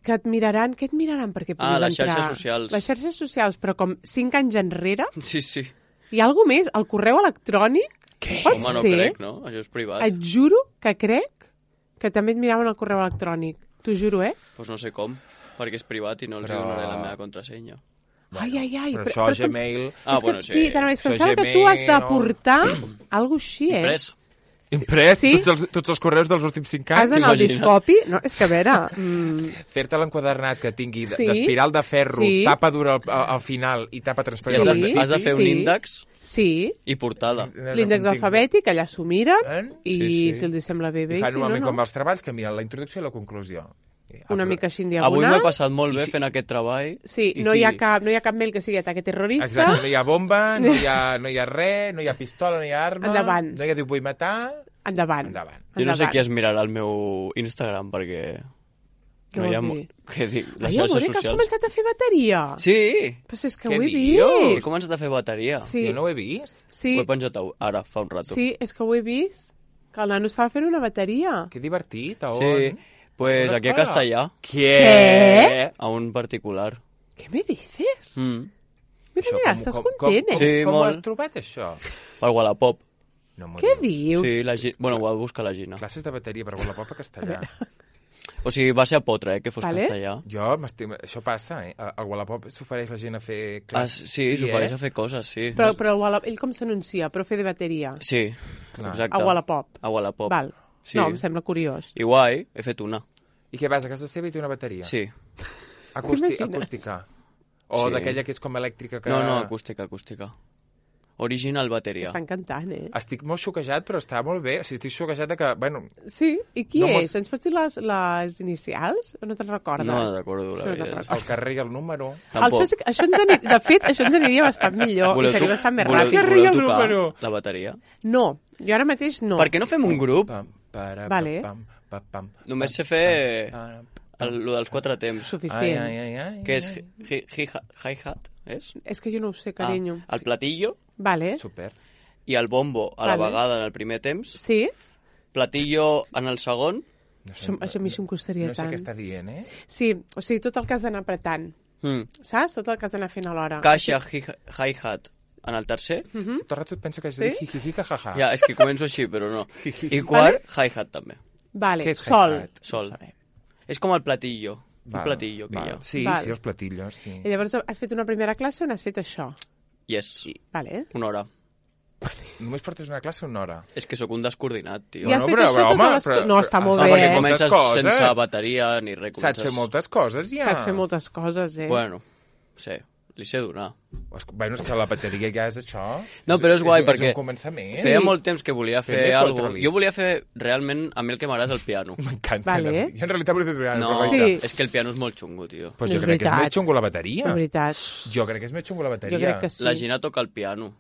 que et miraran... Què et miraran perquè puguis Ah, les entrar? xarxes socials. Les xarxes socials, però com cinc anys enrere. Sí, sí. Hi ha alguna més? El correu electrònic? Què? Pot Home, no ser? crec, no? Això és privat. Et juro que crec que també et miraven el correu electrònic. T'ho juro, eh? Doncs pues no sé com, perquè és privat i no els Però- donaré la meva contrasenya. Ai, ai, ai. Però, però- això, però és que em- Gmail... Ah, és que, bueno, sí, sí. t'anava a dir, és que em Això sembla que tu has Gmail, d'aportar alguna així, eh? Imprès. Imprès Sí? tots, els, tots els correus dels últims cinc Has anys. d'anar al T'imagines? discopi? No, és que a veure... Mm, Fer-te l'enquadernat que tingui d- Sí. d'espiral de ferro, Sí. tapa dura al, al, al final i tapa I transparent has, al de, Sí. has de fer un Sí. índex sí, i portada. l'índex alfabètic, allà s'ho miren, Eh? i Sí, sí. si els hi sembla bé, bé, I i fan si no, normalment no. com els treballs, que miren la introducció i la conclusió. I, Una ah, mica així en Avui diagonal. m'he passat molt I bé si- fent aquest treball. Sí, I no, si- hi ha cap, no hi ha cap mail que sigui ataque terrorista. Exacte, no hi ha bomba, no hi ha, no hi ha res, no hi ha pistola, no hi ha arma, Endavant. no hi ha diu vull matar... Endavant. Endavant. Jo no sé Endavant. qui es mirarà el meu Instagram, perquè... Què no hi ha... vol mo- dir? Què dic? Les Ai, amore, xarxes que has socials. començat a fer bateria. Sí! Però si és que Què ho he dius? He vist. començat a fer bateria. Sí, Jo no ho he vist. sí, Ho he penjat a- ara, fa un rato. sí, és que ho he vist. Que el nano estava fent una bateria. Que divertit, a on? Sí, pues Una aquí a escola? Castellà. Què? A un particular. Què me dices? Mm. Mira, Això mira, com- estàs com- content, com, eh? Sí, com, com ho molt. has trobat, això? Per Wallapop. No m'ho Què dius. dius? Sí, la Gi... Bueno, ho va buscar la Gina. Classes de bateria per Wallapop a Castellà. O sigui, va ser a potre, eh, que fos Vale. castellà. Jo m'estim... Això passa, eh? Al Wallapop s'ofereix la gent a fer Ah, classes. sí, s'ofereix eh? a fer coses, sí. Però, però el Wallapop, ell com s'anuncia? Profe de bateria. Sí, Clar. exacte. A Wallapop. A Wallapop. Val. Sí. No, em sembla curiós. I guai, he fet una. I què vas a casa seva i té una bateria? Sí. Acústi T'imagines? acústica. O Sí. d'aquella que és com elèctrica que... No, no, acústica, acústica. Original bateria. Està encantant, eh? Estic molt xoquejat, però està molt bé. O sigui, estic xoquejat de que, bueno... Sí? I qui No mos- és? Ens pots dir les, les inicials? O no te'n recordes? No recordo, Sí, la no te'n veritat. recordes. El carrer i el número... Tampoc. Això, sí que- això ens aniria, de fet, això ens aniria bastant millor Voleu i seria tu- bastant més voleu- ràpid. Carrer i voleu el tocar número. la bateria? No, jo ara mateix no. Per què no fem un grup? Pam, para, Vale. pam, pam, pam, Només pam, sé fer pam, el, lo dels quatre temps. Suficient. Ai, ai, ai, ai, Que és ai. hi- hi- hi- hi-hat, és? És que jo no ho sé, carinyo. Ah, el platillo Vale. Super. i el bombo a la Vale. vegada en el primer temps, Sí? platillo en el segon, No sé, Això, això a mi això em costaria no sé tant. què està dient, eh? Sí, o sigui, tot el que has d'anar apretant. mm. Saps? Tot el que has d'anar fent alhora. caixa hi- hi-hat en el tercer, Mm? Tot el rato et penso que has de dir Sí? jijiji, jajaja. ja, és que començo així, però no. I quart, hi-hat també. Vale, Què és sol. hi-hat? Sol. No ho sabem. És com el platillo. Val, Un platillo que val. hi ha. Sí, Val. sí, els platillos, sí. I llavors has fet una primera classe on has fet això? Yes, Vale. una hora. Només portes una classe una hora. És que sóc un descoordinat, tio. I has no, fet però, això però, tota home, l'estona? però- No, està molt Ah, bé, perquè eh? moltes Comences coses. sense bateria ni res. Saps fer moltes coses, ja. Saps fer moltes coses, eh? Bueno, sí, li sé donar. Es- Bueno, és que la bateria ja és això. No, però és guai, és, perquè És un començament. Feia molt temps que volia fer Fem-li alguna fotre-li. Jo volia fer, realment, a mi el que m'agrada és el piano. M'encanta. Vale. Jo en realitat volia fer piano, No, però Sí. guaita. és que el piano és molt xungo, tio. Pues No jo és crec que és veritat. més xungo la bateria. De veritat. Jo crec que és més xungo la bateria. Jo crec que sí. La Gina toca el piano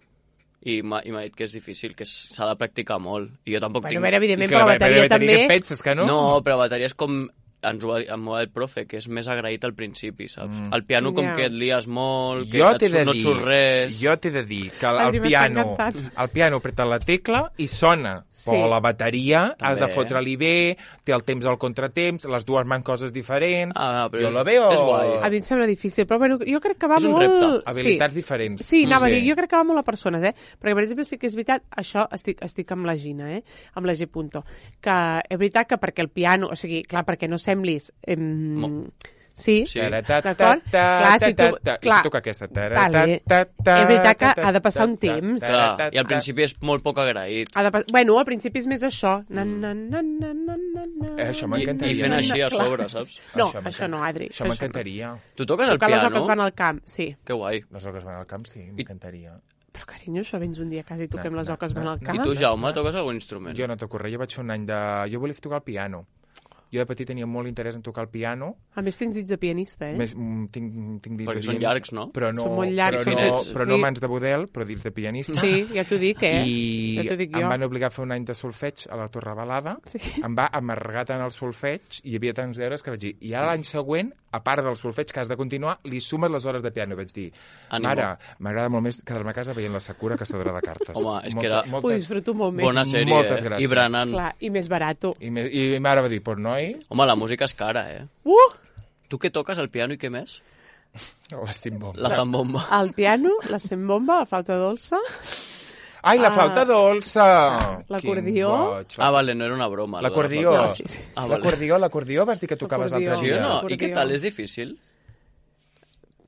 i m'ha i m'ha dit que és difícil, que és- s'ha de practicar molt. I jo tampoc Bueno, a tinc... veure, I evidentment, que però la la bateria també... Què penses, que no? No, però bateria és com... Ens ho va dir, em va dir el profe, que és més agraït al principi, saps? Mm. El piano com Ja. que et lies molt, que Jo et t'he de surt- no et dir, surt res... jo t'he de dir que el, Adri, el m'està piano, encantant. el piano apreta la tecla i sona, Sí. però la bateria També. has de fotre-li bé, té el temps al contratemps, les dues van coses diferents. Ah, però jo és- la veo... és guai. A mi em sembla difícil, però bueno, jo crec que va És un molt... repte. Habilitats diferents. Sí, sí anava Sí. a dir, jo crec que va molt a persones, eh? Perquè, per exemple, sí que és veritat, això estic, estic amb la Gina, eh? Amb la G. Punto, que és veritat que perquè el piano, o sigui, clar, perquè no semblis... Eh, Mo- sí, Sí. d'acord? Clar, si tu... I Clar, si toca aquesta. vale. És veritat que ha de passar un temps. Clar, i al principi és molt poc agraït. ha de, pas- bueno, al principi és més això. Na, na, na, na, na, na, na. Eh, això I, m'encantaria. I fent així a Clar. sobre, saps? No, m'encanta- això no, Adri. Això m'encantaria. Tu toques el Tocar les piano? oques van al camp, sí. Que guai. Les oques van al camp, sí, m'encantaria. Però, carinyo, això vens un dia a casa i toquem No, les no, oques van no. al I camp. tu, Jaume, toques algun instrument? Jo no toco res, jo vaig fer un any de... Jo volia tocar el piano. Jo de petit tenia molt interès en tocar el piano. A més, tens dits de pianista, eh? Més, mm, tinc, tinc dits Perquè de són pianista, llargs, no? Però no, Són molt llargs, però no, finets, però no sí. mans de model, però dits de pianista. Sí, ja t'ho dic, eh? I Ja t'ho dic em jo. van obligar a fer un any de solfeig a la Torre Balada. Sí. Em va amargar tant el solfeig i hi havia tants deures que vaig dir, i ara l'any següent, a part del solfeig que has de continuar, li sumes les hores de piano. I vaig dir, Ànimo. mare, m'agrada molt més quedar-me a casa veient la Sakura Caçadora de cartes. Home, és que Molta- era- Ho moltes, disfruto molt més. Bona sèrie, Moltes eh? gràcies. I berenant. Clar, i més barato. I, me, I ma mare va dir, pues noi, Home, la música és cara, eh? Uh! Tu què toques, el piano i què més? la simbomba. La zambomba. El piano, la sembomba, la flauta dolça... Ai, la Ah. flauta dolça! L'acordió. Quin boig. Ah, vale, no era una broma. lo de la L'acordió. flauta. No, sí, sí. Ah, vale. L'acordió, l'acordió, vas dir que tocaves L'acordió. l'altre Sí dia. o no? I Acordió. què tal? És difícil?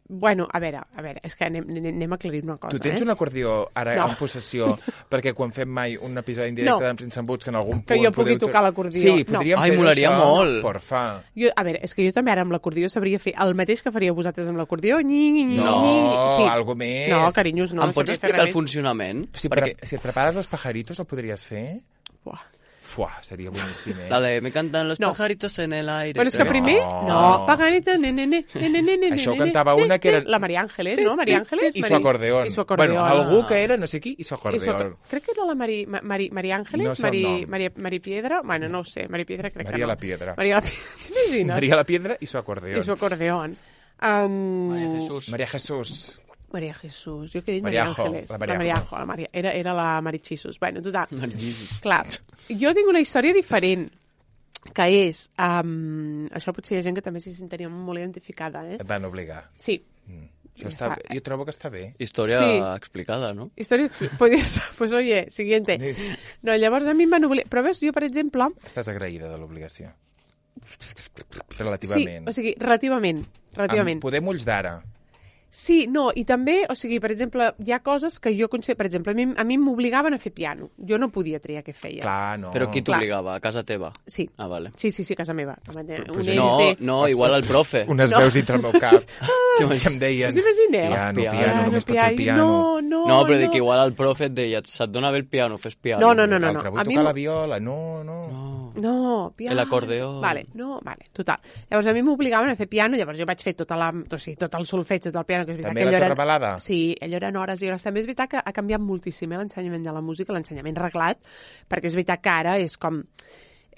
Bueno, a veure, a veure, és que anem, anem a aclarir una cosa, Tu tens eh? un acordió ara No. en possessió perquè quan fem mai un episodi en directe No. d'Em Sense Embuts que en algun Que punt... jo pugui podeu- tocar l'acordió. Sí, No. podríem Ai, fer molaria això. molt. Porfa. Jo, a veure, és que jo també ara amb l'acordió sabria fer el mateix que faríeu vosaltres amb l'acordió. Nyi, nyi, nyi, No, nyi. sí. algo més. No, carinyos, no. em no pots sabria fer explicar el res. funcionament? Si, Perquè pre si et prepares los pajaritos, el podries fer? Buah. Fuà, seria boníssim, eh? la de me cantan los No. pajaritos en el aire. Bueno, és que No. primer... No. No, paganita, ne, ne, ne, ne, ne, ne, ne, Això ho ne, cantava ne, una que era- ne. La María Ángeles, no? María Ángeles. I su Mari- acordeón. I su acordeón. Bueno, algú que era no sé qui i su I su acordeón. acor- Crec que era la Mari, Ma- Mari, María Ángeles, No sé el Mari, nom. Mari, Mari Piedra. Bueno, no ho sé, Mari Piedra crec María que no. la Piedra. María la Piedra. T'imagines? María la Piedra i su acordeón. I su acordeón. Um, Maria Jesús. María Jesús. María Jesús. Jo que he dit María Mariajo, Ángeles. la La Mariajo. Mariajo. La Maria, era, era la Marichisus. Bueno, total. Jesus. Clar, jo tinc una història diferent, que és... Um, això potser hi ha gent que també s'hi sentiria molt identificada, eh? Et van obligar. Sí. Mm. Això Ja està està. bé. Jo trobo que està bé. Història Sí. explicada, no? Història... Podria ser... Pues oye, siguiente. No, llavors a mi em van obligar... Però veus, jo, per exemple... Estàs agraïda de l'obligació. relativament. Sí, o sigui, relativament. relativament. Amb poder mulls d'ara. Sí, no, i també, o sigui, per exemple, hi ha coses que jo considero, per exemple, a mi, a mi m'obligaven a fer piano. Jo no podia triar què feia. Clar, no. Però qui Clar. t'obligava? A casa teva? Sí. Ah, vale. Sí, sí, sí, a casa meva. pues Un No, E L T. no, igual el profe. Unes No. veus dintre el meu cap que em deien... Us imagineu? Piano, Piano, piano, només pots ser piano. No, no, No, però no. dic que igual el profe et deia, se't dona bé el piano, fes piano. No, no, no, no. L'altre, vull A mi tocar m- la viola. No, no. No. No, piano. L'acordeó. Vale, no, vale, total. Llavors a mi m'obligaven a fer piano, llavors jo vaig fer tota la, o sigui, tot el solfeig, tot el piano, que és veritat També que la allò eren- torrebalada? Sí, allò eren hores i hores. També és veritat que ha canviat moltíssim eh, l'ensenyament de la música, l'ensenyament reglat, perquè és veritat que ara és com...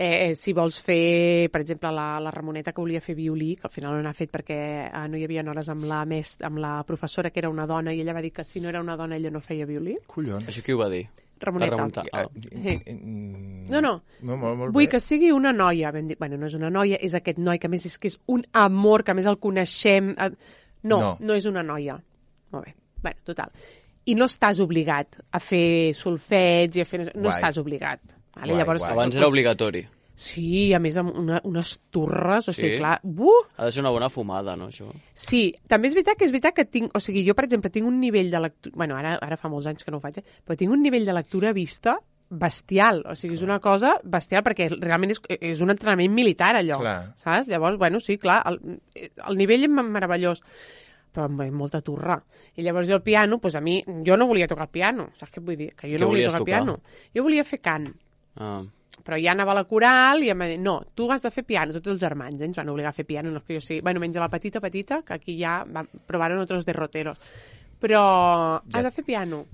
Eh, si vols fer, per exemple, la, la Ramoneta que volia fer violí, que al final no n'ha fet perquè eh, no hi havia hores amb la, mest, amb la professora, que era una dona, i ella va dir que si no era una dona ella no feia violí. Collons. Això qui ho va dir? Ramoneta. La Ramoneta. Ah. Sí. Mm, No, no. no molt, molt Vull bé. que sigui una noia. Vam dir, bueno, no és una noia, és aquest noi, que a més és que és un amor, que a més el coneixem. eh, No, no, No. no és una noia. Molt bé. Bueno, total. I no estàs obligat a fer solfeig i a fer... No Guai. estàs obligat. Vale? Guai, Llavors, guai. Abans era obligatori. Sí, a més amb una, unes turres, o sigui, Sí? clar... Buh! Ha de ser una bona fumada, no, això? Sí, també és veritat que és veritat que tinc... O sigui, jo, per exemple, tinc un nivell de lectura... Bueno, ara, ara fa molts anys que no ho faig, eh? Però tinc un nivell de lectura vista bestial. O sigui, és una cosa bestial perquè realment és, és un entrenament militar, allò. Clar. Saps? Llavors, bueno, sí, clar, el, el nivell és meravellós, però amb molta turra. I llavors jo el piano, doncs a mi... Jo no volia tocar el piano, saps què vull dir? Que jo Què no volia volies tocar el tocar? piano. Jo volia fer cant. Ah. Però ja anava a la coral i em va dir, no, tu has de fer piano, tots els germans, eh? Ens van obligar a fer piano, no és que jo sigui... Bueno, menys la petita, petita, que aquí ja van, provaron otros derroteros. Però Ja. has de fer piano.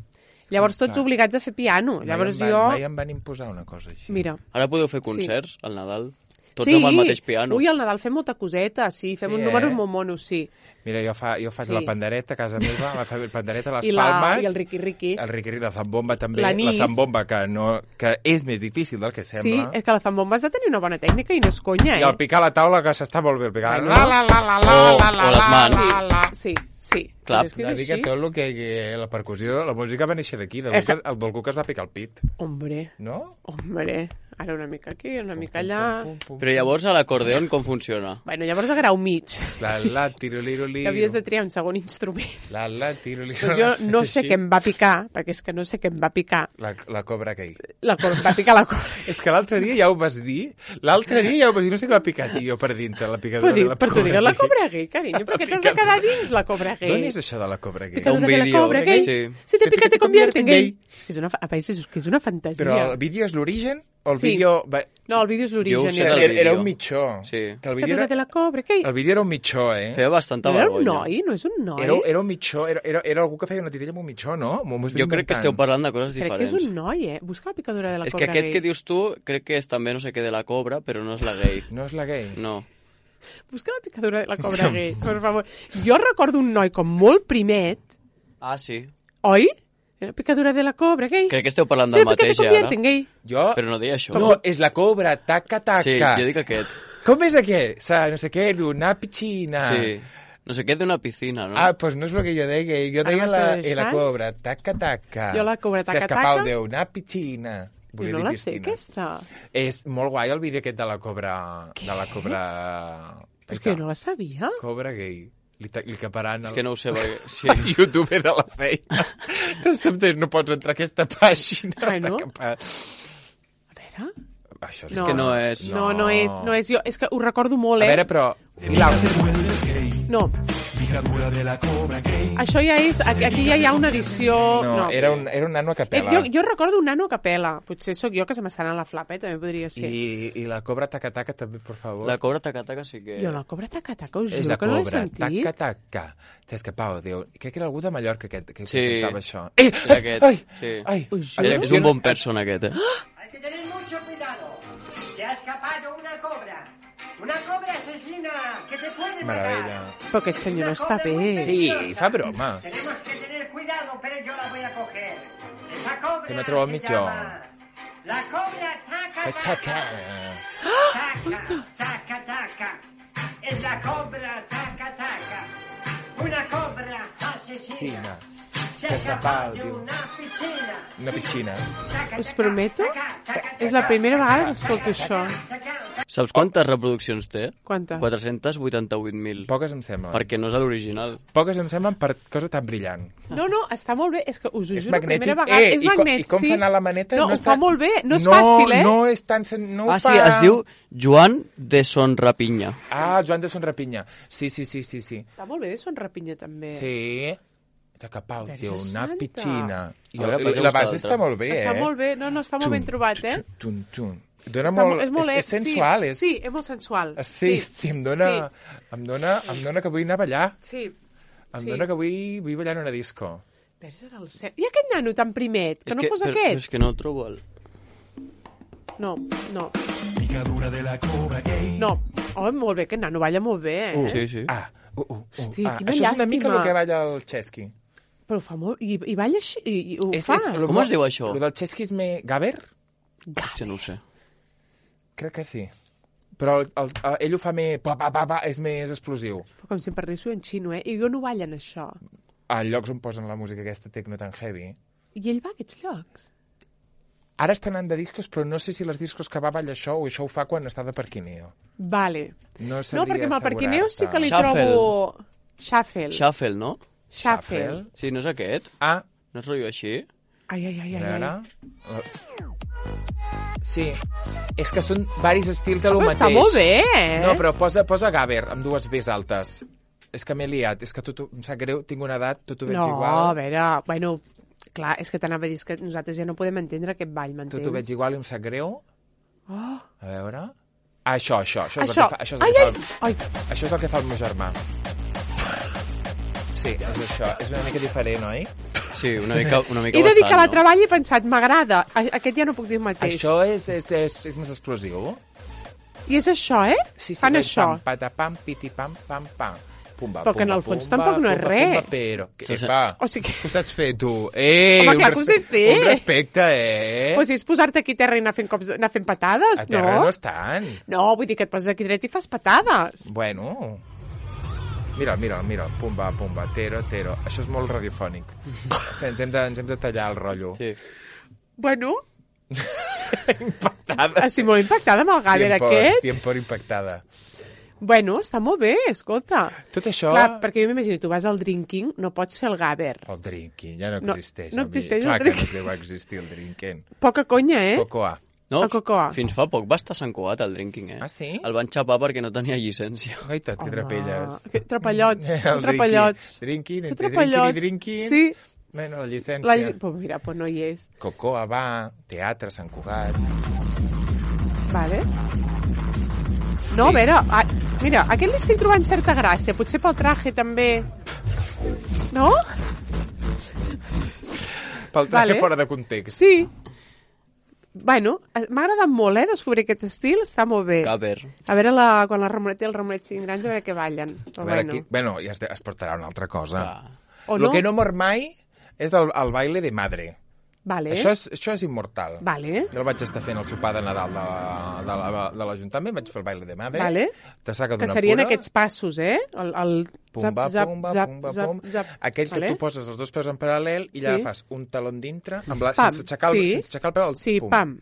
Llavors tots Clar. obligats a fer piano. Llavors mai, em van, jo... mai em van imposar una cosa així. Mira, Ara podeu fer concerts al Nadal? Tots sí. amb el mateix piano. Ui, al Nadal fem molta coseta, sí, fem Sí, un eh? número molt mono, sí. Mira, jo, fa, jo faig Sí. la pandereta a casa meva, la fa- pandereta a les I, la, Palmes, I el riqui riqui. el riqui, la zambomba també, L'anís. la zambomba que, no, que és més difícil del que Sí, sembla. és que la zambomba has de tenir una bona tècnica i no és conya, I eh? el picar a la taula, que s'està molt bé el picar. Bueno. La, la, la, la, la, O- la, la, o les la, mans. la, la. Sí, sí. Clar. És que Una és mica així. tot el que, que la percussió, la música va néixer d'aquí, del Eh, Cuca- el del Cuca es va picar el pit, Hombre, no? hombre. Ara una mica aquí, una mica allà... Pum, pum, pum, Però llavors a l'acordeon com funciona? Bueno, llavors a grau mig. La, la, tiroliroliro. Que havies de triar un segon instrument. La, la, tiroliro. Doncs jo no sé Així. què em va picar, perquè és que no sé què em va picar. La, la cobra gay. La cor va picar la cor. És que l'altre dia ja ho vas dir. L'altre dia ja ho vas dir. No sé què m'ha picat jo per dintre, la picadura Però, de dic, la però tu cobra digues la gay. cobra gay, carinyo, però què t'has de quedar dins la cobra gay? D'on és això de la cobra gay? Picadura Un de la vídeo, cobra gay. sí. Si te pica te convierte en gay. gay. És que és una, fa- a veure, és que és una fantasia. Però el vídeo és l'origen? O el Sí. vídeo... Va... No, el vídeo és Jo ho l'origen. sé i el- del Era, era vídeo. un mitjó. Sí. Que el vídeo Picadura era, de la cobra gay. el vídeo era un mitjó, eh? Feia bastanta No era un vergonya. noi, no és un noi. Era, era un mitjó, era, era, era algú que feia una titella amb un mitjó, no? M'ho estic Jo crec que inventant. esteu parlant de coses Crec que és diferents. un noi, eh? Busca la picadura de la És cobra que aquest gay. que dius tu crec que és també no sé què de la cobra, però no és la gay. No és la gay? No. Busca la picadura de la cobra gay, per favor. Jo recordo un noi com molt primet, Ah, sí. oi? La picadura de la cobra gay. Crec que esteu parlant Sí, del perquè te mateix, ja, convierte ara. en gay. Jo... Però no deia això. No, és la cobra, taca, taca. Sí, jo dic aquest. Com és aquest? Sa, no sé què, una piscina. Sí. No sé què d'una piscina, no? Ah, pues no és el que jo deia. Jo Ara deia m'estàs la, deixant? eh, la cobra, taca, taca. Jo la cobra, taca, Se escapau taca. d'una piscina. Jo Volia no dir la sé, piscina. aquesta. És molt guai el vídeo aquest de la cobra... Què? De la cobra... És que jo no la sabia. Cobra gay. Li, ta- li caparan el... És que no ho sé, perquè... Sí. el youtuber de la feina. De sobte no pots entrar a aquesta pàgina. Bueno. Està capat. A veure... Això és No, que no és. No, no és, no és jo. És que ho recordo molt, A eh? veure, però... I l'altre? No. Això ja és... Aquí aquí ja hi ha una edició... No, No, era, un, era un nano a Eh, capella. jo, jo recordo un nano a capella. Potser sóc jo que se m'està anant la flapa, eh? També podria ser. I, I la cobra taca-taca també, per favor. La cobra taca-taca sí que... Jo la cobra taca-taca, us És juro la que no l'he cobra, sentit. taca-taca. T'ha escapado, Déu. Crec que era algú de Mallorca que, que, Sí. que cantava això. Ei, És aquest, ai, sí. ai, Us ai, juro. És un bon person, aquest, eh? Hay que tener mucho cuidado. Se ha escapado una cobra. Una cobra asesina que te puede Meravella. matar. Però aquest senyor no Una està cobra muy bé. Sí, peligrosa. fa broma. Tenemos que tener cuidado, pero yo la voy a coger. Esa cobra Que no trobo el se mitjó. llama La cobra taca Taca. taca. Taca, taca, taca. Es la cobra taca taca. Una cobra asesina. Piscina. Se Se ha ha escapado escapado de de un- una piscina. Una piscina. Taca, Us taca, prometo taca, taca, és la taca, primera vegada taca, que escolto taca, això. taca, taca, Saps quantes reproduccions té? Quantes? quatre-cents vuitanta-vuit mil. Poques em semblen. Perquè no és l'original. Poques em semblen per cosa tan brillant. No, no, està molt bé. És que us ho És juro, magnètic. primera vegada. Eh, és i, co- magnètic, I com sí. fa anar la maneta? No, ho està... fa molt bé. No és no, fàcil, eh? No és tan... sen- No ho Ah, fa... sí, es diu Joan de Son Rapinya. Ah, Joan de Son Rapinya. Sí, sí, sí, sí, sí. Està molt bé de Son Rapinya, també. Sí. De capau, Verge tio, una santa. pitxina. I A veure, la, passeu la us base l'altra. està molt bé, eh? Està molt bé. No, no, està molt ben trobat, eh? Tun, tun. Dona Està molt... mo- és molt... és, és sensual, sí, és... Sí, és molt sensual. Sí, sí, em dona, em dona, em dona que vull anar a ballar. Sí. Em sí. dona que vull, vull ballar en una disco. Verge del cel. I aquest nano tan primet, que És no fos però- aquest? És que no el trobo el... No, no. Picadura de la cobra gay. No. Oh, molt bé, aquest nano balla molt bé, eh? Uh, Sí, sí. Ah, uh, uh, uh. Hosti, ah, quina això és una mica llàstima. el que balla el Chesky. Però ho fa molt... I, i balla així, i, i ho És, fa. és, lo Com mo- es diu això? Lo del Chesky és més... Gaber? Ja no ho sé. Crec que sí. Però el, el, el, ell ho fa més... Pa, pa, pa, pa, és més explosiu. Però com si em parlés en xino, eh? I jo no ballen això. A llocs on posen la música aquesta tecno tan heavy. I ell va a aquests llocs. Ara està anant de discos, però no sé si les discos que va balla això o això ho fa quan està de parquineo. Vale. No, No, perquè amb el Parquineu sí que li Shuffle. trobo... Shuffle. Shuffle, no? Shuffle. Sí, no és aquest? Ah, No es rotllo així? Ai, ai, ai, a ai. veure... ai. Sí, és que són varis estils de lo Però mateix. està molt bé, eh? No, però posa, posa Gaber amb dues Bs altes. És que m'he liat, és que tu, tu, em sap greu, tinc una edat, tu t'ho veig no, igual. a veure, bueno, clar, és que t'anava a dir que nosaltres ja no podem entendre aquest ball, Tu m'entens? t'ho veig igual i em sap greu. Oh, A veure... Ah, això, això, això és això. el que fa, això és el Ai, que ai, fa, ai. el, això és el que fa el meu germà. Sí, és això. És una mica diferent, oi? Sí, una mica, una mica He de dir bastant, que la no? treball i he pensat, m'agrada. A- Aquest ja no puc dir el mateix. Això és, és, és, és més explosiu. I és això, eh? Sí, sí, Fan vaig això. Pam, patapam, piti, pam, pam, pam. Pumba, Però que en pumba, el fons pumba, tampoc no és pumba, res. Pumba, però... Que, Sí, sí. va, O sigui que- què ho saps fer, tu? Eh, Home, un clar que ho sé respe- fer. Un respecte, eh? Pues si és posar-te aquí a terra i anar fent, cops, anar fent patades, A terra no? no estan. No, vull dir que et poses aquí dret i fas patades. Bueno... Mira, mira, mira, pumba, pumba, tero, tero. Això és molt radiofònic. O sigui, ens, hem de, ens hem de tallar el rotllo. Sí. Bueno, Impactada. estic molt impactada amb el Gaber Cien por, aquest. cien por impactada. Bueno, està molt bé, escolta. Tot això... Clar, perquè jo m'imagino, tu vas al drinking, no pots fer el Gaber. El drinking ja no No, existeix. no amic. existeix el Clar que drinking. no deu existir el drinking. Poca conya, eh? Cocoa. No, El Cocoa. fins fa poc va estar Sant Cugat, el drinking, eh? Ah, sí? El van xapar perquè no tenia llicència. Gaita, que trapelles. Que trapallots, El trapallots. Drinking, Que entre trapallots. drinking i drinking. Sí, Bueno, la llicència. la... Pues mira, pues no hi és. Cocoa va, teatre, Sant Cugat... Vale. No, Sí. a veure, a, mira, a aquest li estic trobant certa gràcia, potser pel traje també. No? Pel traje Vale. fora de context. Sí. Bueno, eh, m'ha agradat molt, eh, descobrir aquest estil, està molt bé. Caber. A veure la, quan la Ramonet i el Ramonet siguin grans, a veure què ballen. A Però veure, bueno. aquí, bueno, ja es, es portarà una altra cosa. Ah. O Lo no? que no mor mai és el, el baile de madre. Vale. Això, és, això és immortal. Vale. Jo el vaig estar fent al sopar de Nadal de, la- de, la- de l'Ajuntament, vaig fer el baile de madre. Vale. Te saca Que d'una serien pura, aquests passos, eh? El, el Pumba, zap, pumba, zap, pumba, zap, pum. zap. Aquell que Vale. tu poses els dos peus en paral·lel i Sí. ja fas un talon dintre, amb la, Pam, sense, aixecar el, sí. sense aixecar el peu, el Sí, pum, pam,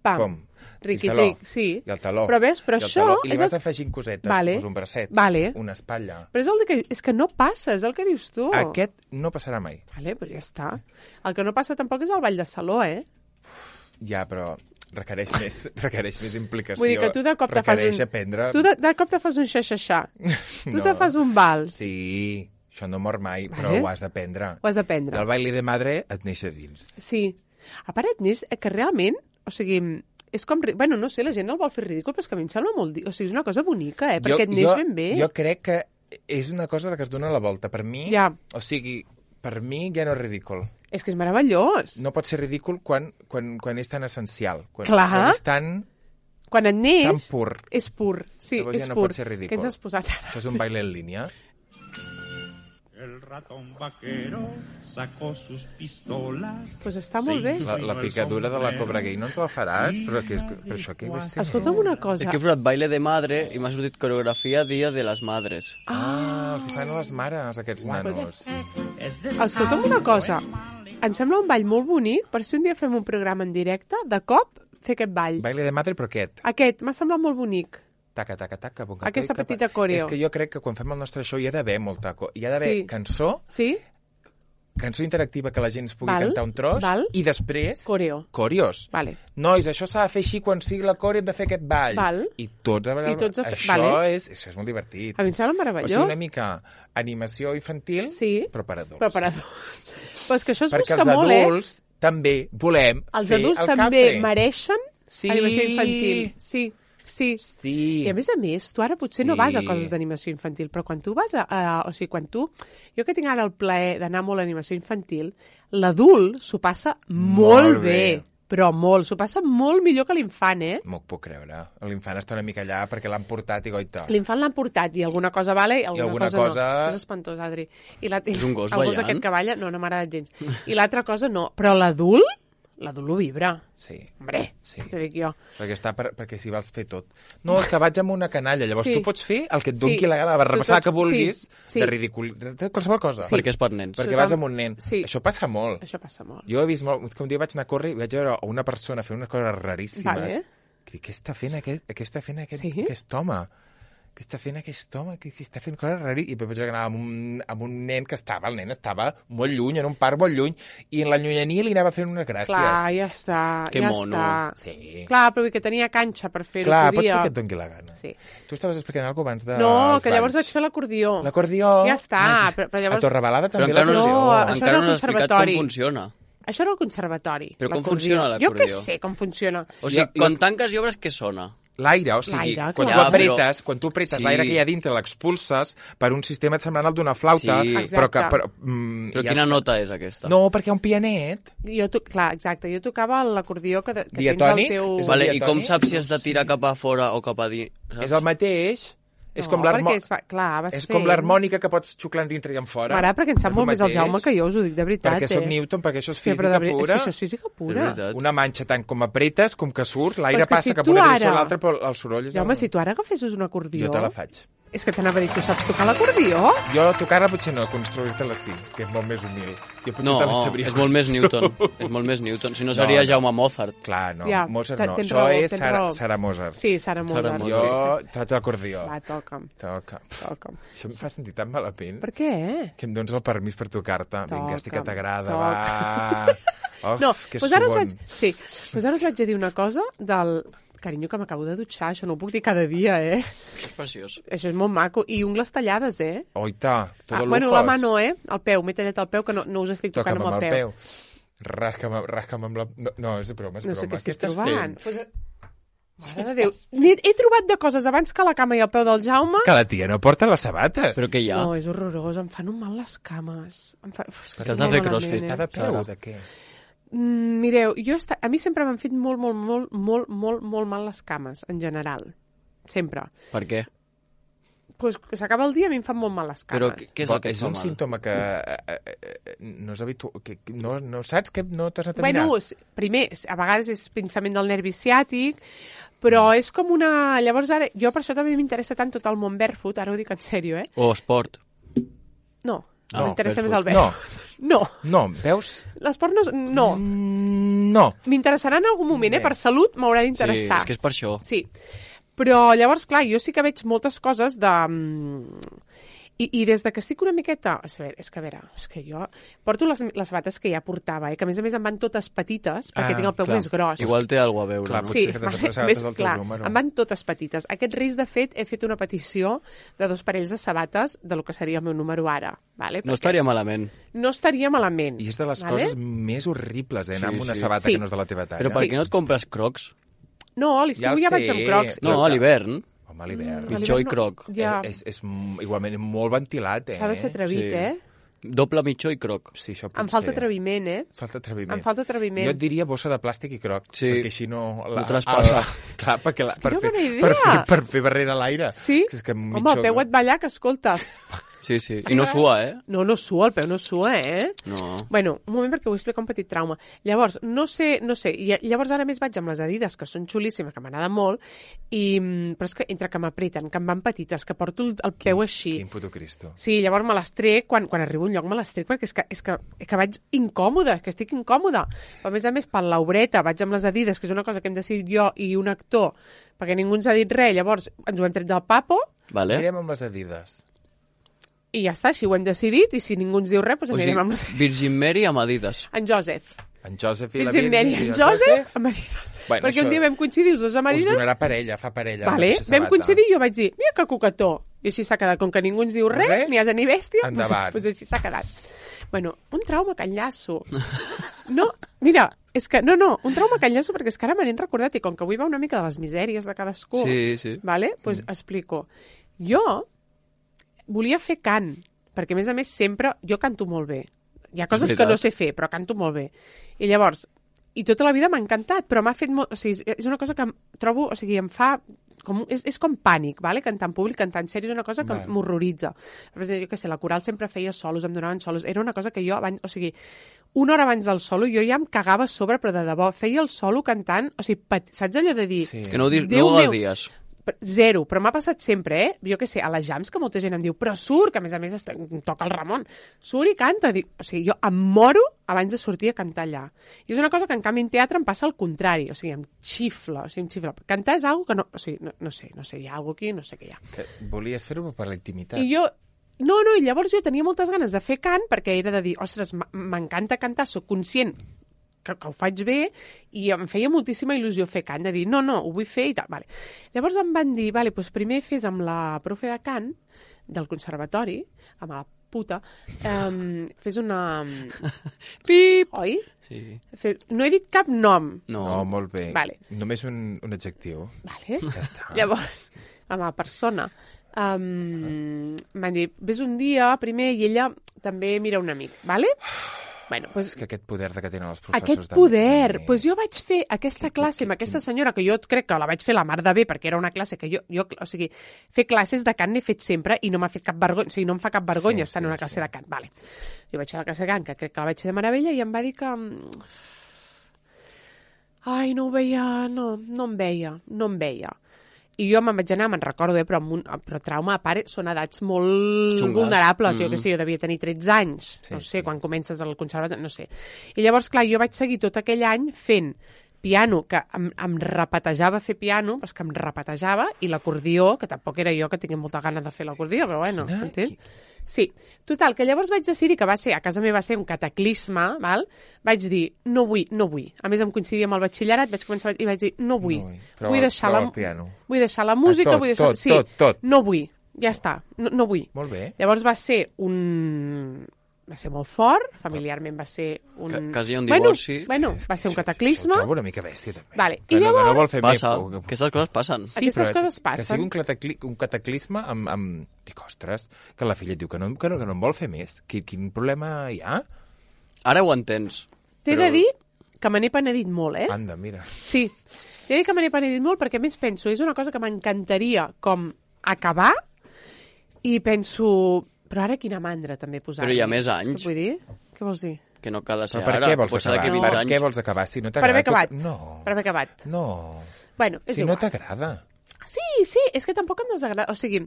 pam. pum. Riqui, I el taló. tric, sí. I el taló. Però veus, però I el això taló. I li és vas el- afegint cosetes, Vale. pues un bracet, Vale. una espatlla. Però és el que, és que no passa, és el que dius tu. Aquest no passarà mai. Vale, doncs ja està. El que no passa tampoc és el ball de saló, eh? Ja, però requereix més, requereix més implicació. Vull dir que tu de cop te fas requereix un... aprendre... Tu de, de cop te fas un xa-xa-xa. Tu No. te fas un vals. Sí, això no mor mai, Vale. però ho has d'aprendre. Ho has d'aprendre. Del baile de madre et neix a dins. Sí. A part et neix, eh, que realment, o sigui, és com... ri- Bueno, no sé, la gent el vol fer ridícul, però és que a mi em sembla molt... di- O sigui, és una cosa bonica, eh? Perquè et neix jo, ben bé. Jo crec que és una cosa que es dona la volta. Per mi, Ja. o sigui, per mi ja no és ridícul. És que és meravellós. No pot ser ridícul quan, quan, quan és tan essencial. Quan, Clar. quan és tan, Quan et neix, tan pur. és pur. Sí, Llavors és ja no pur. pot ser ridícul. Què ens has posat ara? Això és un baile en línia. El ratón vaquero sacó sus pistolas. Pues està molt bé. La, la picadura de la cobra gay no ens la faràs? Però, que és, però això què és? Escolta'm una cosa. És que he posat baile de madre i m'ha sortit coreografia Dia de les Madres. Ah, els hi fan a les mares, aquests nanos. Escolta'm una cosa. Em sembla un ball molt bonic per si un dia fem un programa en directe, de cop fer aquest ball. Baile de madre, però aquest. Aquest, m'ha semblat molt bonic. Taca, taca, taca. Bon, Aquesta taca, petita coreo. És que jo crec que quan fem el nostre show hi ha d'haver molta... co- Hi ha d'haver Sí. cançó, Sí? cançó interactiva que la gent es pugui Val, cantar un tros, val. i després... Coreo. Coreos. Vale. Nois, això s'ha de fer així quan sigui la coreo, hem de fer aquest ball. Val. I tots a vegades... I tots a fer- Això, vale. és, això és molt divertit. A mi em sembla O meravellós. sigui, una mica animació infantil, Sí. però per adults. Però per adults. Però és que això es Perquè busca els molt, eh? adults també volem Els fer adults el també cafre. mereixen Sí. animació infantil. Sí, sí. Sí. I a més a més, tu ara potser no Sí. vas a coses d'animació infantil, però quan tu vas a, a... O sigui, quan tu... Jo que tinc ara el plaer d'anar molt a animació infantil, l'adult s'ho passa molt, Molt bé. bé. Però molt, s'ho passa molt millor que l'infant, eh? M'ho puc creure. L'infant està una mica allà perquè l'han portat i goita. L'infant l'han portat i alguna cosa vale i alguna, alguna cosa, cosa- no. Això és espantós, Adri. I la... És un gos el gos ballant? aquest que balla, no, no m'ha agradat gens. I l'altra cosa no. Però l'adult, l'adult ho vibra. Sí. Hombre, Sí. t'ho dic jo. Perquè, està per, perquè si vols fer tot. No, és que vaig amb una canalla. Llavors Sí. tu pots fer el que et Sí. doni la gana, la barrabassada Tu que tots- vulguis, sí, sí. de ridicul... de qualsevol cosa. Sí. Perquè és per nens. Perquè Tothom- vas amb un nen. Sí. Això passa molt. Això passa molt. Jo he vist molt... Que un dia vaig anar a córrer i vaig veure una persona fer unes coses raríssimes. Vale. Que dic, què està fent aquest, què està fent aquest, Sí? aquest home? Què està fent aquest home? Què, què està fent coses raríssimes? I després vaig anar amb un, amb un nen que estava, el nen estava molt lluny, en un parc molt lluny, i en la llunyania li anava fent unes gràcies. Clar, ja està. Que ja mono. Està. Sí. Clar, però vull dir que tenia canxa per fer-ho. Clar, pots podia. fer el que et doni la gana. Sí. Tu estaves explicant alguna cosa abans de... No, els que llavors balls. vaig fer l'acordió. L'acordió... Ja està, però, però A llavors... Torrebalada Però també encara no, l'acordió. No, això encara era no el has explicat conservatori. com funciona. Això era el conservatori. Però com l'acordió. funciona Jo l'acordió? què sé com funciona. O sigui, Jo- quan jo- tanques i obres, què sona? L'aire, o sigui, L'aire, quan clar. tu Ja, apretes, però- quan tu apretes Sí. l'aire que hi ha dintre l'expulses per un sistema semblant al d'una flauta, Sí. però que... Exacte. Però, mm, Però ja quina està. nota és aquesta? No, perquè hi ha un pianet. Jo, to... Clar, exacte. Jo tocava l'acordió que, que tens Diatònic? al teu... És el Vale, i diatònic? com saps si has de tirar cap a fora o cap a dins? Saps? És el mateix. És no, com l'harmò- perquè és, fa- clar, vas és fent... com l'harmònica que pots xuclar dintre i en fora. Mare, perquè en sap És molt el més el mateix. Jaume que jo, us ho dic de veritat, Perquè eh? soc Newton, perquè això és Sí, però física de veri- pura. És que això és física És pura. veritat. Una manxa tant com apretes com que surts, l'aire Però és que passa si cap tu a una direcció ara- a l'altra, però el soroll és... Jaume, el... si tu ara agafessis un acordió... Jo te la faig. És que t'anava a dir, tu saps tocar l'acordió? Jo tocar-la potser no, construir-te-la sí, que és molt més humil. Jo potser No, te la sabria és molt més construir. Newton. És molt més Newton. Si no, No, seria no. Jaume Mozart. Clar, no, Ja, Mozart te- no. tens Això raó, és tens Sara, raó. Sara Mozart. Sí, Sara Mozart. Mozart. Jo Sí, sí, faig l'acordió. sí. Va, toca'm, Toca. toca'm. Això em fa sentir tan malament. Per què? Que em dones el permís per tocar-te. Vinga, estic que Toca'm, t'agrada, toca. va. Of, No, que doncs ara us subon. vaig... Sí, doncs ara us vaig a dir una cosa del... Carinyo, que m'acabo de dutxar, això no ho puc dir cada dia, eh? És preciós. Això és molt maco. I ungles tallades, eh? Oita, tot Ah, el bueno, lujos. la mà no, eh? El peu, m'he tallat el peu, que no, no us estic tocant Toca'm amb el peu. Rasca'm, rasca'm amb la... No, no, és de broma, és No broma. sé què estic estàs trobant. fent? Pues, eh, Mare de Déu. N'he he trobat de coses abans que la cama i el peu del Jaume. Que la tia no porta les sabates. Però què hi ha? No, és horrorós, em fan un mal les cames. Em fa... Uf, és que Que has estic de fer molt crossfit. malament, Està de eh? peu, Sara. de què? Mm, mireu, jo esta... a mi sempre m'han fet molt, molt, molt, molt, molt, molt mal les cames, en general. Sempre. Per què? Pues que s'acaba el dia i a mi em fan molt mal les cames. Però què, què és el Però que et és fa un mal? símptoma que eh, eh, eh, no és habitual, que, que no, no saps que no t'has anat a Bueno, mirar? s- primer, s- a vegades és pinçament del nervi ciàtic, però és com una... Llavors ara, jo per això també m'interessa tant tot el món barefoot, ara ho dic en sèrio, eh? O esport. No, No, m'interessa més el barefoot. barefoot. No. No, veus? L'esport no... és- No. Mm, no. M'interessarà en algun moment, eh? Bé. Per salut m'haurà Sí, d'interessar. és que és per això. Sí, però llavors, clar, jo sí que veig moltes coses de... mm, I, I des de que estic una miqueta... A veure, és que, a veure, és que jo porto les, les sabates que ja portava, eh? Que a més a més em van totes petites, perquè Ah, tinc el peu Clar, més gros. Igual té alguna a veure, Clar, no? potser Sí, que t'has vale, de sabates més, del teu clar, número. em van totes petites. Aquest risc, de fet, he fet una petició de dos parells de sabates de lo que seria el meu número ara. Vale? No Perquè estaria malament. no estaria malament. I és de les vale? coses més horribles, eh? Anar Sí, amb una sí. sabata Sí. que no és de la teva talla. Però per Sí. què no et compres crocs? No, a l'estiu Ja els ja, vaig té. amb crocs. No, Jo- a l'hivern. Home, a l'hivern. Mm, a Mitjó i l'hivern no- croc. Ja, És, és, és igualment molt ventilat, eh? s'ha de ser atrevit, Sí. eh? Doble mitjó i croc. Sí, això pot Em falta ser. atreviment, eh? Falta atreviment. Em falta atreviment. Jo et diria bossa de plàstic i croc, Sí. perquè així no... No traspassa. Ah, clar, perquè la, per, quina fer, bona idea. per, fer, per fer barrera a l'aire. Sí? Que és que Home, mitjó- el peu et ballar, que escolta. Sí, sí. Sí, I no eh? sua, eh? No, no sua, el peu no sua, eh? No. Bueno, un moment perquè vull explicar un petit trauma. Llavors, no sé, no sé, i llavors ara més vaig amb les Adidas, que són xulíssimes, que m'agraden molt, i, però és que entre que m'apreten, que em van petites, que porto el, el peu així... Quin puto Cristo. Sí, llavors me les trec, quan, quan arribo a un lloc me les trec, perquè és que, és que, és que vaig incòmoda, que estic incòmoda. Però, a més a més, per l'obreta, vaig amb les Adidas, que és una cosa que hem decidit jo i un actor, perquè ningú ens ha dit res, llavors ens ho hem tret del papo, Vale. Anirem amb les Adidas. i ja està, així ho hem decidit, i si ningú ens diu res, doncs O sigui, anirem amb les... Virgin Mary amb Adidas. En Joseph. En Joseph i la Virgin Mary, Virgin en Joseph, amb Adidas. Bueno, perquè això un dia vam coincidir els dos amb Us Adidas, donarà parella, fa parella. vale, mateixa vam sabata. coincidir i jo vaig dir, mira que coquetó. I així s'ha quedat, com que ningú ens diu res, Res? ni asa ni bèstia, doncs, Endavant. doncs així s'ha quedat. Bueno, un trauma que enllaço. No, mira, és que, no, no, un trauma que enllaço perquè és que ara me n'he recordat i com que avui va una mica de les misèries de cadascú, Sí, sí. vale? Pues mm. explico. Jo volia fer cant, perquè a més a més sempre, jo canto molt bé. Hi ha coses que no sé fer, però canto molt bé. I llavors, i tota la vida m'ha encantat, però m'ha fet molt... O sigui, és una cosa que em trobo... O sigui, em fa... Com, és, és com pànic, vale? Cantar en públic, cantar en sèrio, és una cosa que Vale. m'horroritza. Jo què sé, la coral sempre feia solos, em donaven solos. Era una cosa que jo, abans, o sigui, una hora abans del solo, jo ja em cagava a sobre, però de debò, feia el solo cantant, o sigui, pat... saps allò de dir... Sí. Que no ho, di Déu no ho meu. gaudies. Zero, però m'ha passat sempre, eh? Jo què sé, a les jams que molta gent em diu, però surt, que a més a més està, toca el Ramon, surt i canta. Dic, o sigui, jo em moro abans de sortir a cantar allà. I és una cosa que en canvi en teatre em passa al contrari, o sigui, em xifla, o sigui, em xifla. Cantar és algo que no, o sigui, no, no sé, no sé, hi ha algo aquí, no sé què hi ha. Que Volies fer-ho per la intimitat. I jo, no, no, i llavors jo tenia moltes ganes de fer cant perquè era de dir, ostres, m- m'encanta cantar, sóc conscient que, que ho faig bé i em feia moltíssima il·lusió fer cant, de dir, no, no, ho vull fer i tal. Vale. Llavors em van dir, vale, doncs primer fes amb la profe de cant del conservatori, amb la puta, um, fes una... Pip! Oi? Sí. Fe... No he dit cap nom. No. No, molt bé. Vale. Només un, un adjectiu. Vale. Ja està. Llavors, amb la persona, um, m'han dit, vés un dia primer i ella també mira un amic, vale? Bueno, pues, És que aquest poder que tenen els professors... aquest de- poder, de- pues jo vaig fer aquesta classe amb aquesta senyora, que jo crec que la vaig fer la mar de bé, perquè era una classe que jo, jo o sigui, fer classes de cant n'he fet sempre i no m'ha fet cap vergonya, o sigui, no em fa cap vergonya Sí, estar sí, en una classe sí. de cant, vale. Jo vaig fer la classe de cant, que crec que la vaig fer de meravella, i em va dir que... Ai, no ho veia, no, no em veia, no em veia. I jo me'n vaig anar, me'n recordo, eh, però, amb un, però trauma a part són edats molt Xungues. vulnerables. Mm. Jo què sé, jo devia tenir tretze anys, Sí, no sé, sí. quan comences al conservatori, no sé. I llavors, clar, jo vaig seguir tot aquell any fent piano, que em, em repetejava fer piano, però és que em repetejava, i l'acordió, que tampoc era jo que tingués molta gana de fer l'acordió, però bueno, Quina- entens? Sí, total, que llavors vaig decidir que va ser, a casa meva va ser un cataclisme, val? Vaig dir, no vull, no vull. A més, em coincidia amb el batxillerat, vaig començar i vaig dir, no vull. No vull. Prova- vull deixar la, prova el piano. vull deixar la música, Ah, tot, vull deixar... tot, sí, tot, tot. no vull, ja està, no, no vull. Molt bé. Llavors va ser un... va ser molt fort, familiarment va ser un... Que- quasi un Bueno, divorci. bueno, va ser un Això- cataclisme. Això ho trobo una mica bèstia, també. Vale, Que i no, que no llavors- vol fer Passa, més. que- aquestes coses passen. Sí, Aquestes però coses passen. Que sigui un, catacli un cataclisme amb, amb... Dic, ostres, que la filla et diu que no, que no, que no en vol fer més. Quin, quin problema hi ha? Ara ho entens. T'he però- de dir que me n'he penedit molt, eh? Anda, mira. Sí, t'he de dir que me n'he penedit molt perquè a més penso, és una cosa que m'encantaria com acabar i penso, però ara quina mandra també posar. Però hi ha més anys. Què vull dir? Què vols dir? Que no cal ser Però per ara. què vols pot ser acabar? d'aquí No. vint Per anys. què vols acabar? Si no Per t'agrada... haver acabat. tot- No, Per haver acabat. no. Bueno, és Si igual. no t'agrada. Sí, sí, és que tampoc em desagrada. O sigui,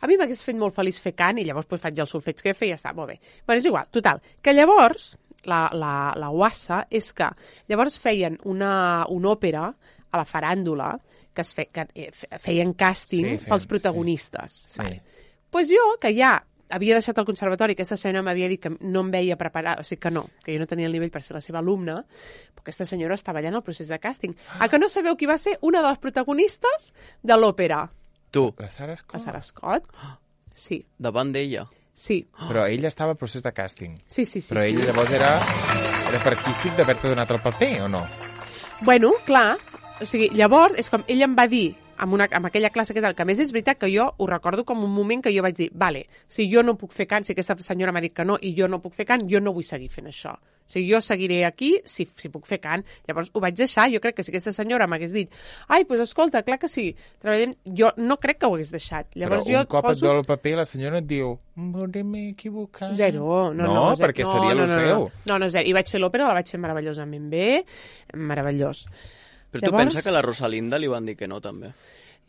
a mi m'hagués fet molt feliç fer cant i llavors pues, faig el solfeig que feia i ja està, molt bé. Bueno, és igual, total. Que llavors, la, la, la guassa és que llavors feien una, una òpera a la faràndula que, es fe, que eh, feien càsting Sí, sí, feien- pels protagonistes. sí. Vale. Pues jo, que ja havia deixat el conservatori, aquesta senyora m'havia dit que no em veia preparada, o sigui que no, que jo no tenia el nivell per ser la seva alumna, però aquesta senyora estava allà en el procés de càsting. A que no sabeu qui va ser una de les protagonistes de l'òpera? Tu, La Sara Scott. A Sarah Scott? Sí, davant d'ella. sí, Però ella estava al procés de càsting. sí, sí. sí Però sí. ell llavors era, era partícip d'haver-te donat el paper, o no? Bueno, clar, o sigui, llavors és com ell em va dir amb, una, amb aquella classe que tal, que a més és veritat que jo ho recordo com un moment que jo vaig dir, vale, si jo no puc fer cant, si aquesta senyora m'ha dit que no i jo no puc fer cant, jo no vull seguir fent això. O sigui, jo seguiré aquí si, si puc fer cant. Llavors ho vaig deixar. Jo crec que si aquesta senyora m'hagués dit ai, doncs escolta, clar que sí, treballem... Jo no crec que ho hagués deixat. Llavors, Però jo un cop poso... et dol el paper, la senyora et diu m'he equivocat. Zero. No, no, no, zero. perquè no, seria no, el no, seu. No, no, no, zero. I vaig fer l'òpera, la vaig fer meravellosament bé. Meravellós. Però tu Llavors... pensa que a la Rosalinda li van dir que no, també?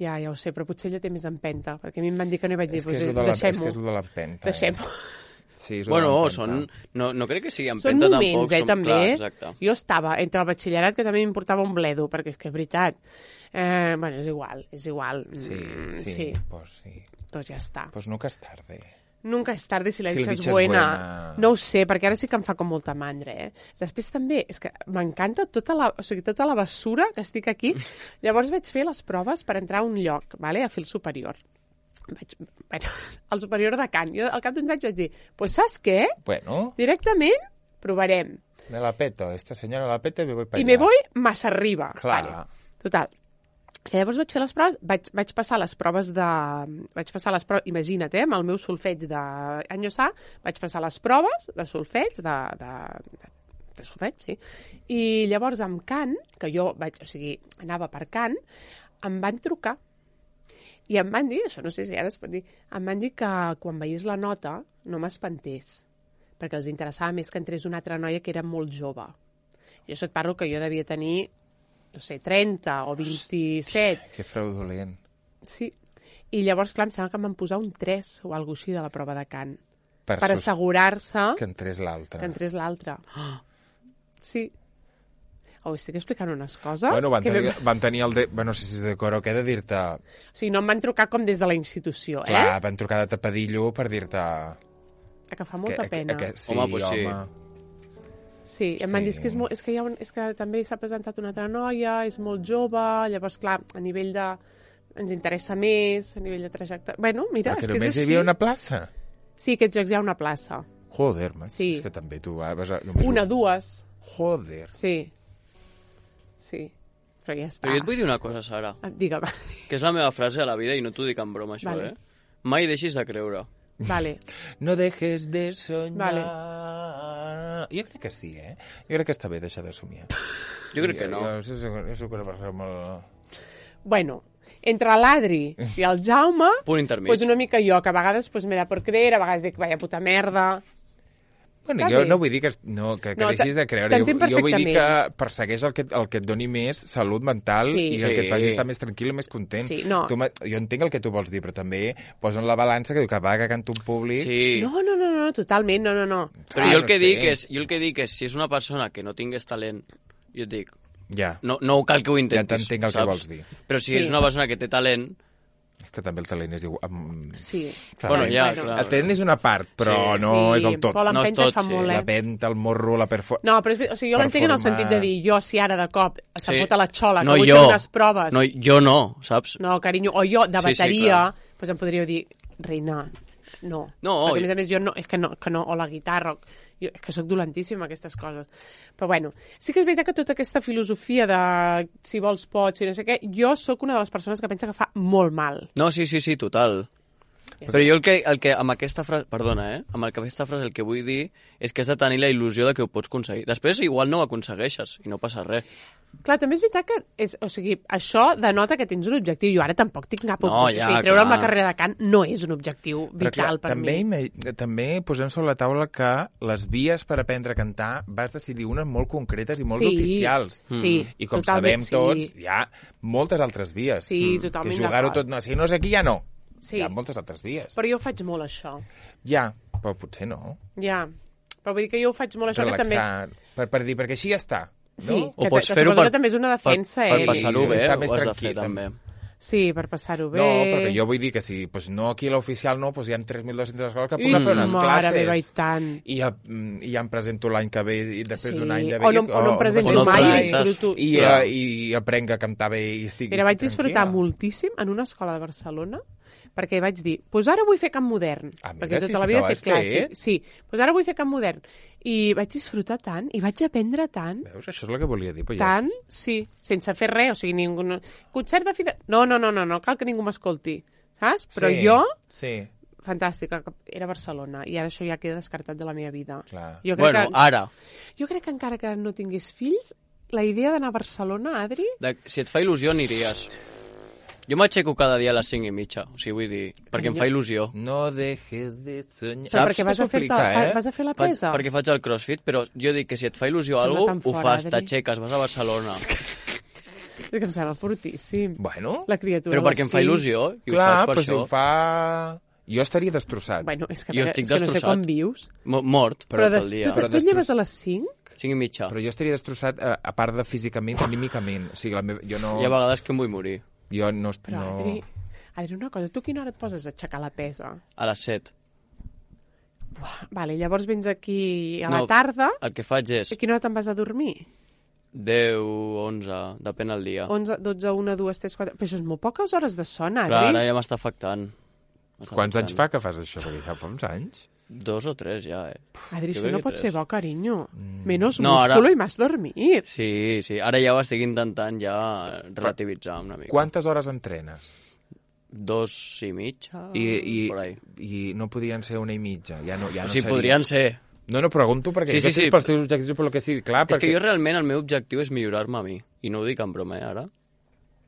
Ja, ja ho sé, però potser ella té més empenta, perquè a mi em van dir que no i vaig dir, És que és pues, lo de la- és deixem-ho. que és lo de l'empenta. Deixem-ho. Eh? Sí, és lo de Bueno, l'empenta. són... No, no crec que sigui Són empenta moments, tampoc. eh, som... també. Clar, exacte. Jo estava entre el batxillerat, que també m'importava un bledo, perquè és que és veritat. Eh, bueno, és igual, és igual. Sí, Mm, sí, sí. pues sí. Pues ja està. Pues nunca es tarde. Nunca és tarde si la Si dicha la és dicha és buena. buena. No ho sé, perquè ara sí que em fa com molta mandra, eh? Després també, és que m'encanta tota la, o sigui, tota la bessura que estic aquí. Llavors vaig fer les proves per entrar a un lloc, vale? A fer el superior. Vaig, bueno, el superior de cant. Jo al cap d'uns anys vaig dir, pues saps què? Bueno, Directament provarem. me la peto. Esta señora la peta y me voy para I allá. me voy massa arriba. Clar. Vale. Total. I llavors vaig fer les proves, vaig, vaig passar les proves de... Vaig passar les proves, imagina't, eh, amb el meu solfeig d'Anyosà, vaig passar les proves de solfeig, de, de, de, de solfeig, sí. I llavors amb cant, que jo vaig, o sigui, anava per cant, em van trucar. I em van dir, això no sé si ara es pot dir, em van dir que quan veiés la nota no m'espantés, perquè els interessava més que entrés una altra noia que era molt jove. Jo això et parlo que jo devia tenir, no sé, trenta o vint-i-set. Que fraudulent. Sí. I llavors, clar, em sembla que em van posar un tres o alguna cosa així de la prova de cant. Per, Per sus- assegurar-se Que entrés l'altre. que entrés l'altre. Sí. Oh, estic explicant unes coses... Bueno, van que tenir, vam- van tenir el de... Bueno, no sé si és de cor o què, de dir-te... O sigui, no em van trucar com des de la institució, Clar, eh? van trucar de tapadillo per dir-te... Que fa molta que, pena. Que, que, sí, Home, pues sí. home. Sí, em van Sí. dir és que, és, molt, és, que hi ha un, és que també s'ha presentat una altra noia, és molt jove, llavors, clar, a nivell de... ens interessa més, a nivell de trajectòria... Bueno, mira, Però és que que és només hi així. havia una plaça. Sí, aquests jocs hi ha una plaça. Joder, man. Sí. És que també tu vas a... Només Una, dues. Joder. Sí. Sí. Però ja està. Però jo et vull dir una cosa, Sara, Ah, Digue'm. que és la meva frase a la vida i no t'ho dic en broma, això, Vale. eh? Mai deixis de creure. Vale. No dejes de soñar. Vale. Jo crec que sí, eh? Jo crec que està bé deixar de somiar. Jo crec que no. Jo, jo, jo, jo soc una persona molt... Bueno, entre l'Adri i el Jaume, Punt intermig. pues una mica jo, que a vegades pues, m'he de por creer, a vegades dic, vaya puta merda. Bueno, Està jo bé. no vull dir que, no, que, que No, deixis de creure. Jo, t'entenc jo vull dir que perfectament. persegueix el que, el que et doni més salut mental Sí. i el que et Sí. faci estar més tranquil i més content. Sí, no. Tu, m'ha- jo entenc el que tu vols dir, però també posa en la balança que diu que va que canto en públic... Sí. No, no, no, no, totalment, no, no, no. Però Ah, jo el no que sé. dic és, jo el que dic és, si és una persona que no tingués talent, jo et dic, Ja, no, no cal que ho intentis. ja t'entenc el saps? que vols dir. Però si Sí. és una persona que té talent, És que també el talent és igual... Amb... Sí. bueno, ja, Bueno. clar. El talent és una part, però Sí. no sí, és el tot. Però No és l'empenta tot, fa sí. molt, La eh? venta, el morro, la perfor... No, però és, o sigui, jo Per l'entenc en el formar- sentit de dir, jo si ara de cop se'm Sí. fot a la xola, no que vull jo. fer unes proves... No, jo no, saps? No, carinyo, o jo de Sí, sí, bateria, clar. pues em podríeu dir, reina, no. No, Perquè, i- a més a més, jo no, és que no, que no, o la guitarra, o- jo, és que sóc dolentíssima aquestes coses. Però bueno, sí que és veritat que tota aquesta filosofia de si vols pots, si no sé què, jo sóc una de les persones que pensa que fa molt mal. No, sí, sí, sí, total. Ja Però jo el que, el que amb aquesta frase, perdona, eh? Amb aquesta frase el que vull dir és que has de tenir la il·lusió de que ho pots aconseguir. Després igual no ho aconsegueixes i no passa res. Clar, també és veritat que és, o sigui, això denota que tens un objectiu. Jo ara tampoc tinc cap No, objectiu. ja, o sigui, treure'm clar. la carrera de cant no és un objectiu Però vital clar, per també, mi. ima- també posem sobre la taula que les vies per aprendre a cantar vas decidir unes molt concretes i molt Sí, oficials. sí, I com totalment, sabem sí. tots, hi ha moltes altres vies. Sí, Que totalment jugar-ho d'acord. tot... No, si no és aquí, ja no. Sí. Hi ha moltes altres vies. Però jo ho faig molt, això. Ja, però potser no. Ja. Però vull dir que jo ho faig molt, això, que també... Relaxar, per, per dir, perquè així ja està. No? Sí, O que, pots que fer-ho suposo per- que també és una defensa, per eh? passar-ho I bé, estar ho més has de tranquil, fer també. Sí, per passar-ho bé. No, perquè jo vull dir que si pues no aquí a l'oficial no, pues hi ha tres mil dos-centes escoles que I, puc anar a fer unes mare classes. meva, i tant. I ja, mm, i ja em presento l'any que ve i després Sí. d'un any de O no- beca, o no em presento presento mai i mai, disfruto. i, Clar. i, i aprenc a cantar bé i estic Mira, vaig tranquil·la. disfrutar moltíssim en una escola de Barcelona perquè vaig dir, doncs pues ara vull fer cant modern. Ah, mira, perquè sí, tota la sí vida que he ho has fet clàssic. fet. Sí, doncs pues ara vull fer cant modern. I vaig disfrutar tant, i vaig aprendre tant, Veus? Això és el que volia dir. Però ja... tant, sí, sense fer res, o sigui, ningú... Concert de fida... No, no, no, no, no cal que ningú m'escolti, saps? Però sí, jo Sí. fantàstica, que era Barcelona, i ara això ja queda descartat de la meva vida. Clar. Jo crec, Bueno, que, ara, jo crec que encara que no tingués fills, la idea d'anar a Barcelona, Adri... de, si et fa il·lusió aniries. Jo m'aixeco cada dia a les cinc i mitja, o sigui, vull dir, perquè em fa il·lusió. No dejes de soñar. Però Saps perquè que vas a, fer s'aplica, eh? vas a fer la Faig, pesa? perquè faig el crossfit, però jo dic que si et fa il·lusió a Sembla alguna tan cosa, ho fora, fas, Adri. t'aixeques, vas a Barcelona. És que em sembla fortíssim. Bueno, La criatura Però perquè em fa sí. il·lusió, i clar, ho faig per però si això. ho fa... Jo estaria destrossat. Bueno, és que, Jo és estic que no sé destrossat. com vius. Mo- Mort, Però, però des, pel dia. tu, Però tu et lleves destross- a les cinc? cinc i mitja. Però jo estaria destrossat, a, a part de físicament, anímicament. O sigui, la meva, jo no... Hi ha vegades que em vull morir. Jo no... Però, no... Adri, Adri, una cosa, tu a quina hora et poses a aixecar la pesa? A les set. Vale, llavors vens aquí a la No. tarda, El que faig és i a quina hora te'n vas a dormir? deu, onze, depèn del dia. onze, dotze, una, dues, tres, quatre... Però això és molt poques hores de son, Adri. Clar, ara ja m'està afectant. M'està Quants afectant. anys fa que fas això? Perquè ja fa uns anys. Dos o tres ja, eh. Adri, Jo això crec no que pot tres. ser bo, carinyo. Menos No, ara- músculo i más dormir. Sí, sí, ara ja ho estic intentant ja relativitzar una mica. Quantes hores entrenes? Dos i mitja, I, i, por ahí. I no podien ser una i mitja. Ja no, ja O no sigui, seria. podrien ser. No, no, pregunto perquè Sí, sí, sí, sí, sí. pels teus objectius, per lo que sigui. Clar, És perquè... que jo realment el meu objectiu és millorar-me a mi. I no ho dic en broma, eh, ara.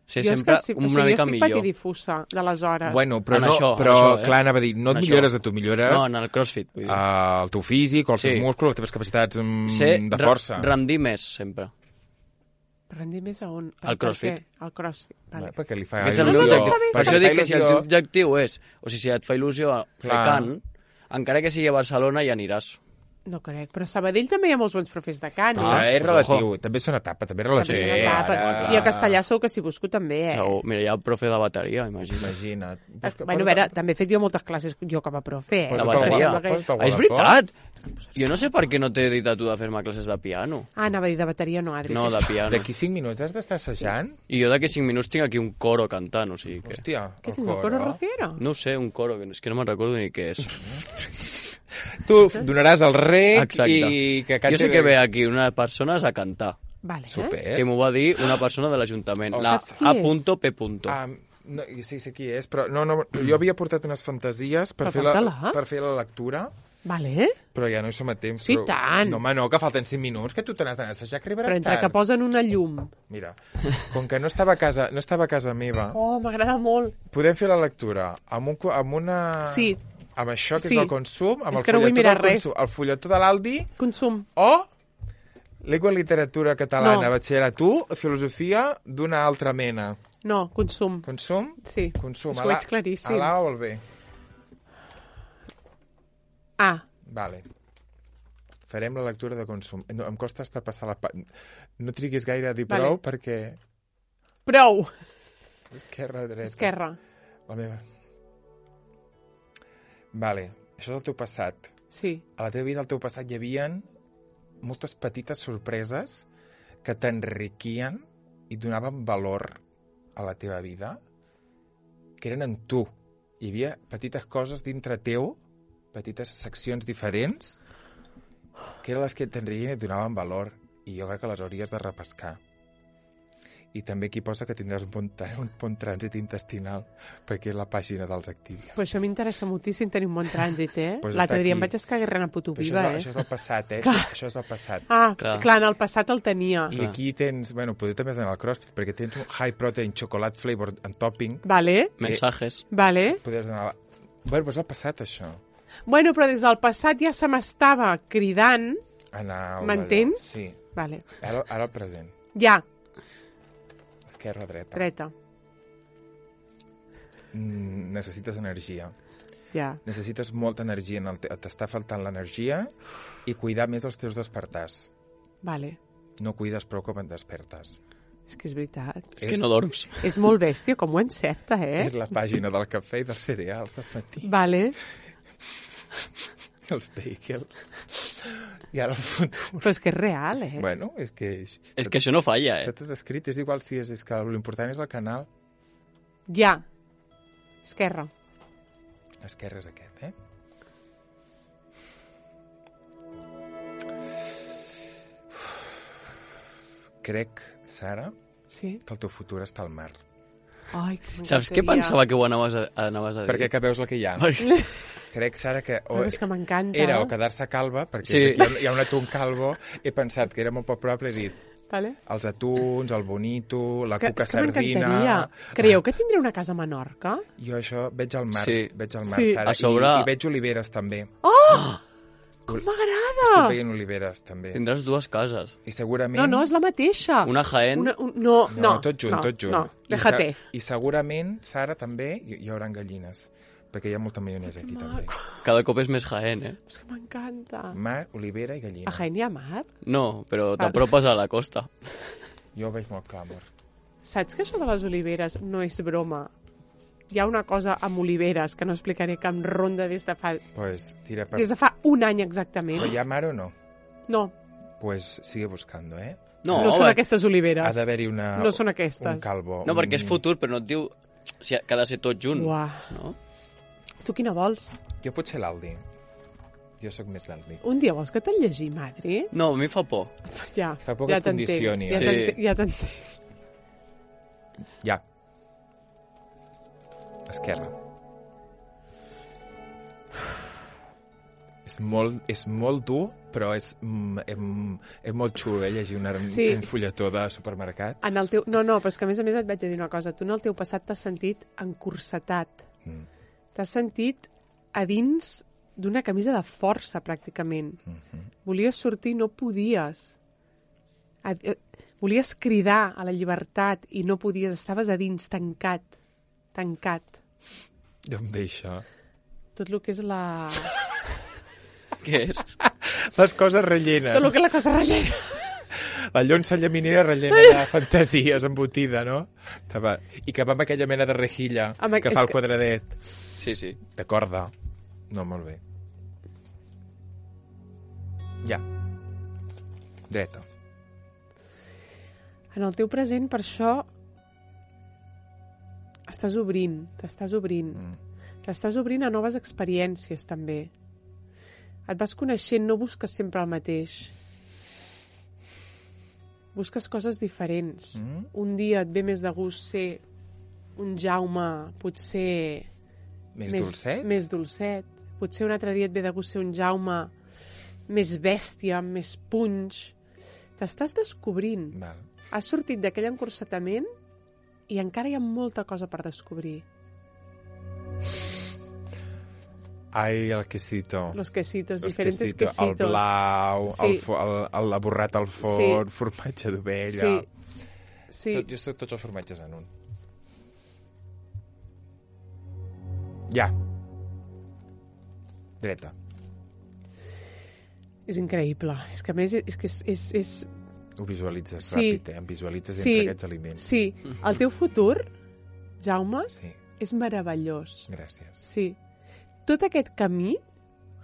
Ser jo és sempre que, sí, una o sigui, mica jo estic millor. patidifusa de les hores. Bueno, però, En no, això, en però això, eh? clar, anava a dir, no En et això. millores a tu, millores No, en el crossfit. Vull dir. uh, el teu físic, els teus Sí. músculs, les teves capacitats mm, Ser de re- força. rendir més, sempre. Rendir més a on? Per, Al CrossFit. Per què? Al CrossFit, vale. Vale. Perquè li fa Aquest és el il·lusió. meu no, objectiu. està bé, Per està això bé. dic que si el il·lusió- teu objectiu és... O sigui, si et fa il·lusió fer Clar. cant, encara que sigui a Barcelona, ja aniràs. No crec, però a Sabadell també hi ha molts bons profes de cant. Ah, eh? és pues relatiu, ojo. també és una etapa, també és També relatiu. és una Sí, etapa. ara- I a Castellà segur que si busco també, eh? Segur. Mira, hi ha el profe de bateria, imagina't. Imagina't. Eh, Bueno, a veure, també he fet jo moltes classes jo com a profe, eh? Posa't La al bateria. guardapó, posa't al Ah, és guardapó. veritat! Jo no sé per què no t'he dit a tu de fer-me classes de piano. Ah, anava a dir de bateria, no, Adri. No, de sisplau. piano. D'aquí cinc minuts has d'estar assajant? I jo d'aquí cinc minuts tinc aquí un coro cantant, o sigui que... Hòstia, Què el tinc, el coro rociero? No ho sé, un coro, que és que no me'n recordo ni què és. Tu donaràs el rec Exacte. i que Jo sé que ve aquí unes persones a cantar, Vale, Super. eh? que m'ho va dir una persona de l'Ajuntament, Oh, la saps qui A. és? P. Ah, no, sí, sé qui és, però no, no, jo havia portat unes fantasies per, Però fer la, porta-la. per fer la lectura, Vale, eh? però ja no hi som a temps. Sí, però... tant. No, home, no, que falten cinc minuts, que tu te n'has d'anar a assajar, que arribaràs Però entre tard. que posen una llum... Mira, com que no estava a casa, no estava a casa meva, Oh, m'agrada molt. podem fer la lectura amb, un, co- amb una... Sí. Amb això, que Sí. és el consum, amb És el que no vull fulletó mirar del res. consum, el fulletó de l'Aldi, Consum. o Llengua i literatura catalana, No. batxillerat u, filosofia d'una altra mena. No, consum. Consum? Sí, Consum. és a que ho la- veig claríssim. A l'A o al B? Ah, Vale. Farem la lectura de consum. No, em costa estar passar la... Pa... No triguis gaire a dir Vale. prou, perquè... prou. Esquerra, dreta. Esquerra. La meva. Vale. Això és el teu passat. Sí. A la teva vida, al teu passat, hi havia moltes petites sorpreses que t'enriquien i donaven valor a la teva vida, que eren en tu. Hi havia petites coses dintre teu, petites seccions diferents, que eren les que t'enriquien i et donaven valor. I jo crec que les hauries de repescar. I també aquí posa que tindràs un bon, un bon trànsit intestinal, perquè és la pàgina dels Activia. Però això m'interessa moltíssim tenir un bon trànsit, eh? Pues L'altre està dia em aquí. vaig escaguer a puto Però això, viva, és, eh? això és el passat, eh? Això, això és el passat. Ah, Clar. clar, en el passat el tenia. I aquí tens, bueno, poder també has d'anar al CrossFit, perquè tens un high protein chocolate flavor en topping. Vale, Mensajes. vale. Podries anar... Bueno, però és el passat, això. Bueno, però des del passat ja se m'estava cridant. Anar al M'entens? Sí. Vale. Ara, ara el present. Ja, Esquerra, dreta. dreta. Mm, necessites energia. Ja. Necessites molta energia. En el te... T'està faltant l'energia i cuidar més els teus despertars. Vale. No cuides prou com et despertes. És que és veritat. És que no dorms. És molt bèstia, com ho encerta, eh? És la pàgina del cafè i dels cereals del matí. Vale. Els vehicles. I ara el futur. Però és que és real, eh? Bueno, és que... És que això no falla, eh? Està tot escrit, és igual si és, és que l'important és el canal. Ja. Esquerra. Esquerra és aquest, eh? Crec, Sara, Sí. que el teu futur està al mar. Ai, que m'encantaria. Saps què pensava que ho anaves a, anaves a dir? Perquè que veus el que hi ha. Perquè... Crec, Sara, que... O, Però és que m'encanta. era o quedar-se calva, perquè Sí. sí. hi, ha, hi ha un atún calvo, he pensat que era molt poc probable, he dit Vale. els atuns, el bonito, la és que, cuca és que sardina... m'encantaria. Creieu que tindré una casa a Menorca? Jo això veig al mar, Sí. veig al mar, Sí. Sara, A sobre- i, i veig oliveres també. Oh! Com m'agrada! Estic veient oliveres també. Tindràs dues cases. I segurament... No, no, és la mateixa. Una Jaén. Una, un, no, No, no, tot junt, no, tot junt. No, I, déjate. se- I segurament, Sara, també, hi, hi haurà gallines, perquè hi ha molta maionesa aquí també. maco. Cada cop és més Jaén, eh? És que m'encanta. Mar, olivera i gallina. A Jaén hi ha mar? No, però Val. t'apropes a la costa. Jo ho veig molt clar, amor. Saps que això de les oliveres no és broma? Hi ha una cosa amb oliveres que no explicaré, que em ronda des de fa, Pues tira per... des de fa un any exactament. Però hi ha mar o no? No, Pues sigue buscando, eh? no, No, són va- aquestes oliveres. Ha d'haver-hi una... No són Un aquestes. calvo. No, un- perquè és futur, però no et diu si ha que ha de ser tot junt. Uah. No? Tu quina vols? Jo potser l'Aldi. Jo sóc més l'Aldi. Un dia vols que te'l llegir, Madri? No, a mi fa por. Ja, Fa por ja que et t'entenc. condicioni, Ja eh? t'entenc, Sí. ja t'entenc. Ja. Esquerra. És molt, és molt dur, però és, mm, em, és molt xulo, eh, llegir una, Sí. un fulletó de supermercat. En el teu... No, no, però és que a més a més et vaig a dir una cosa. Tu en el teu passat t'has sentit encursetat. Mm. T'has sentit a dins d'una camisa de força, pràcticament. Mm-hmm. Volies sortir i no podies. A, a, volies cridar a la llibertat i no podies. Estaves a dins, tancat. Tancat. D'on ve això? Tot el que és la... Què és? Les coses rellenes. Tot el que és la cosa rellena. La llonça llaminera rellena de fantasies embotida, no? Que va- I que va amb aquella mena de rejilla Amb aqu- que és fa el que- quadradet Sí, sí. de corda. No, molt bé. Ja. Dreta. En el teu present, per això, estàs obrint, t'estàs obrint. Mm. T'estàs obrint a noves experiències, també. Et vas coneixent, no busques sempre el mateix. Busques coses diferents. Mm. Un dia et ve més de gust ser un Jaume, potser... Més, dolcet? Més dolcet. Potser un altre dia et ve de gust ser un Jaume més bèstia, amb més punys. T'estàs descobrint. Val. Has sortit d'aquell encursetament i encara hi ha molta cosa per descobrir. Ai, el quesito. Los quesitos, Los diferentes quesito, quesitos. El blau, Sí. el, fo- el, el laborrat al forn, formatge d'ovella... Sí. Sí. Tot, jo soc tots els formatges en un. Ja. Dreta. És increïble. És que a més és que és... és, és... Ho visualitzes Sí. ràpid, eh? Em visualitzes Sí. entre aquests aliments. Sí, el teu futur, Jaume, Sí, és meravellós. gràcies. Sí. Tot aquest camí,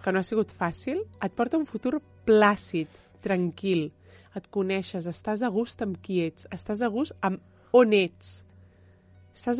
que no ha sigut fàcil, et porta a un futur plàcid, tranquil. Et coneixes, estàs a gust amb qui ets, estàs a gust amb on ets. Estàs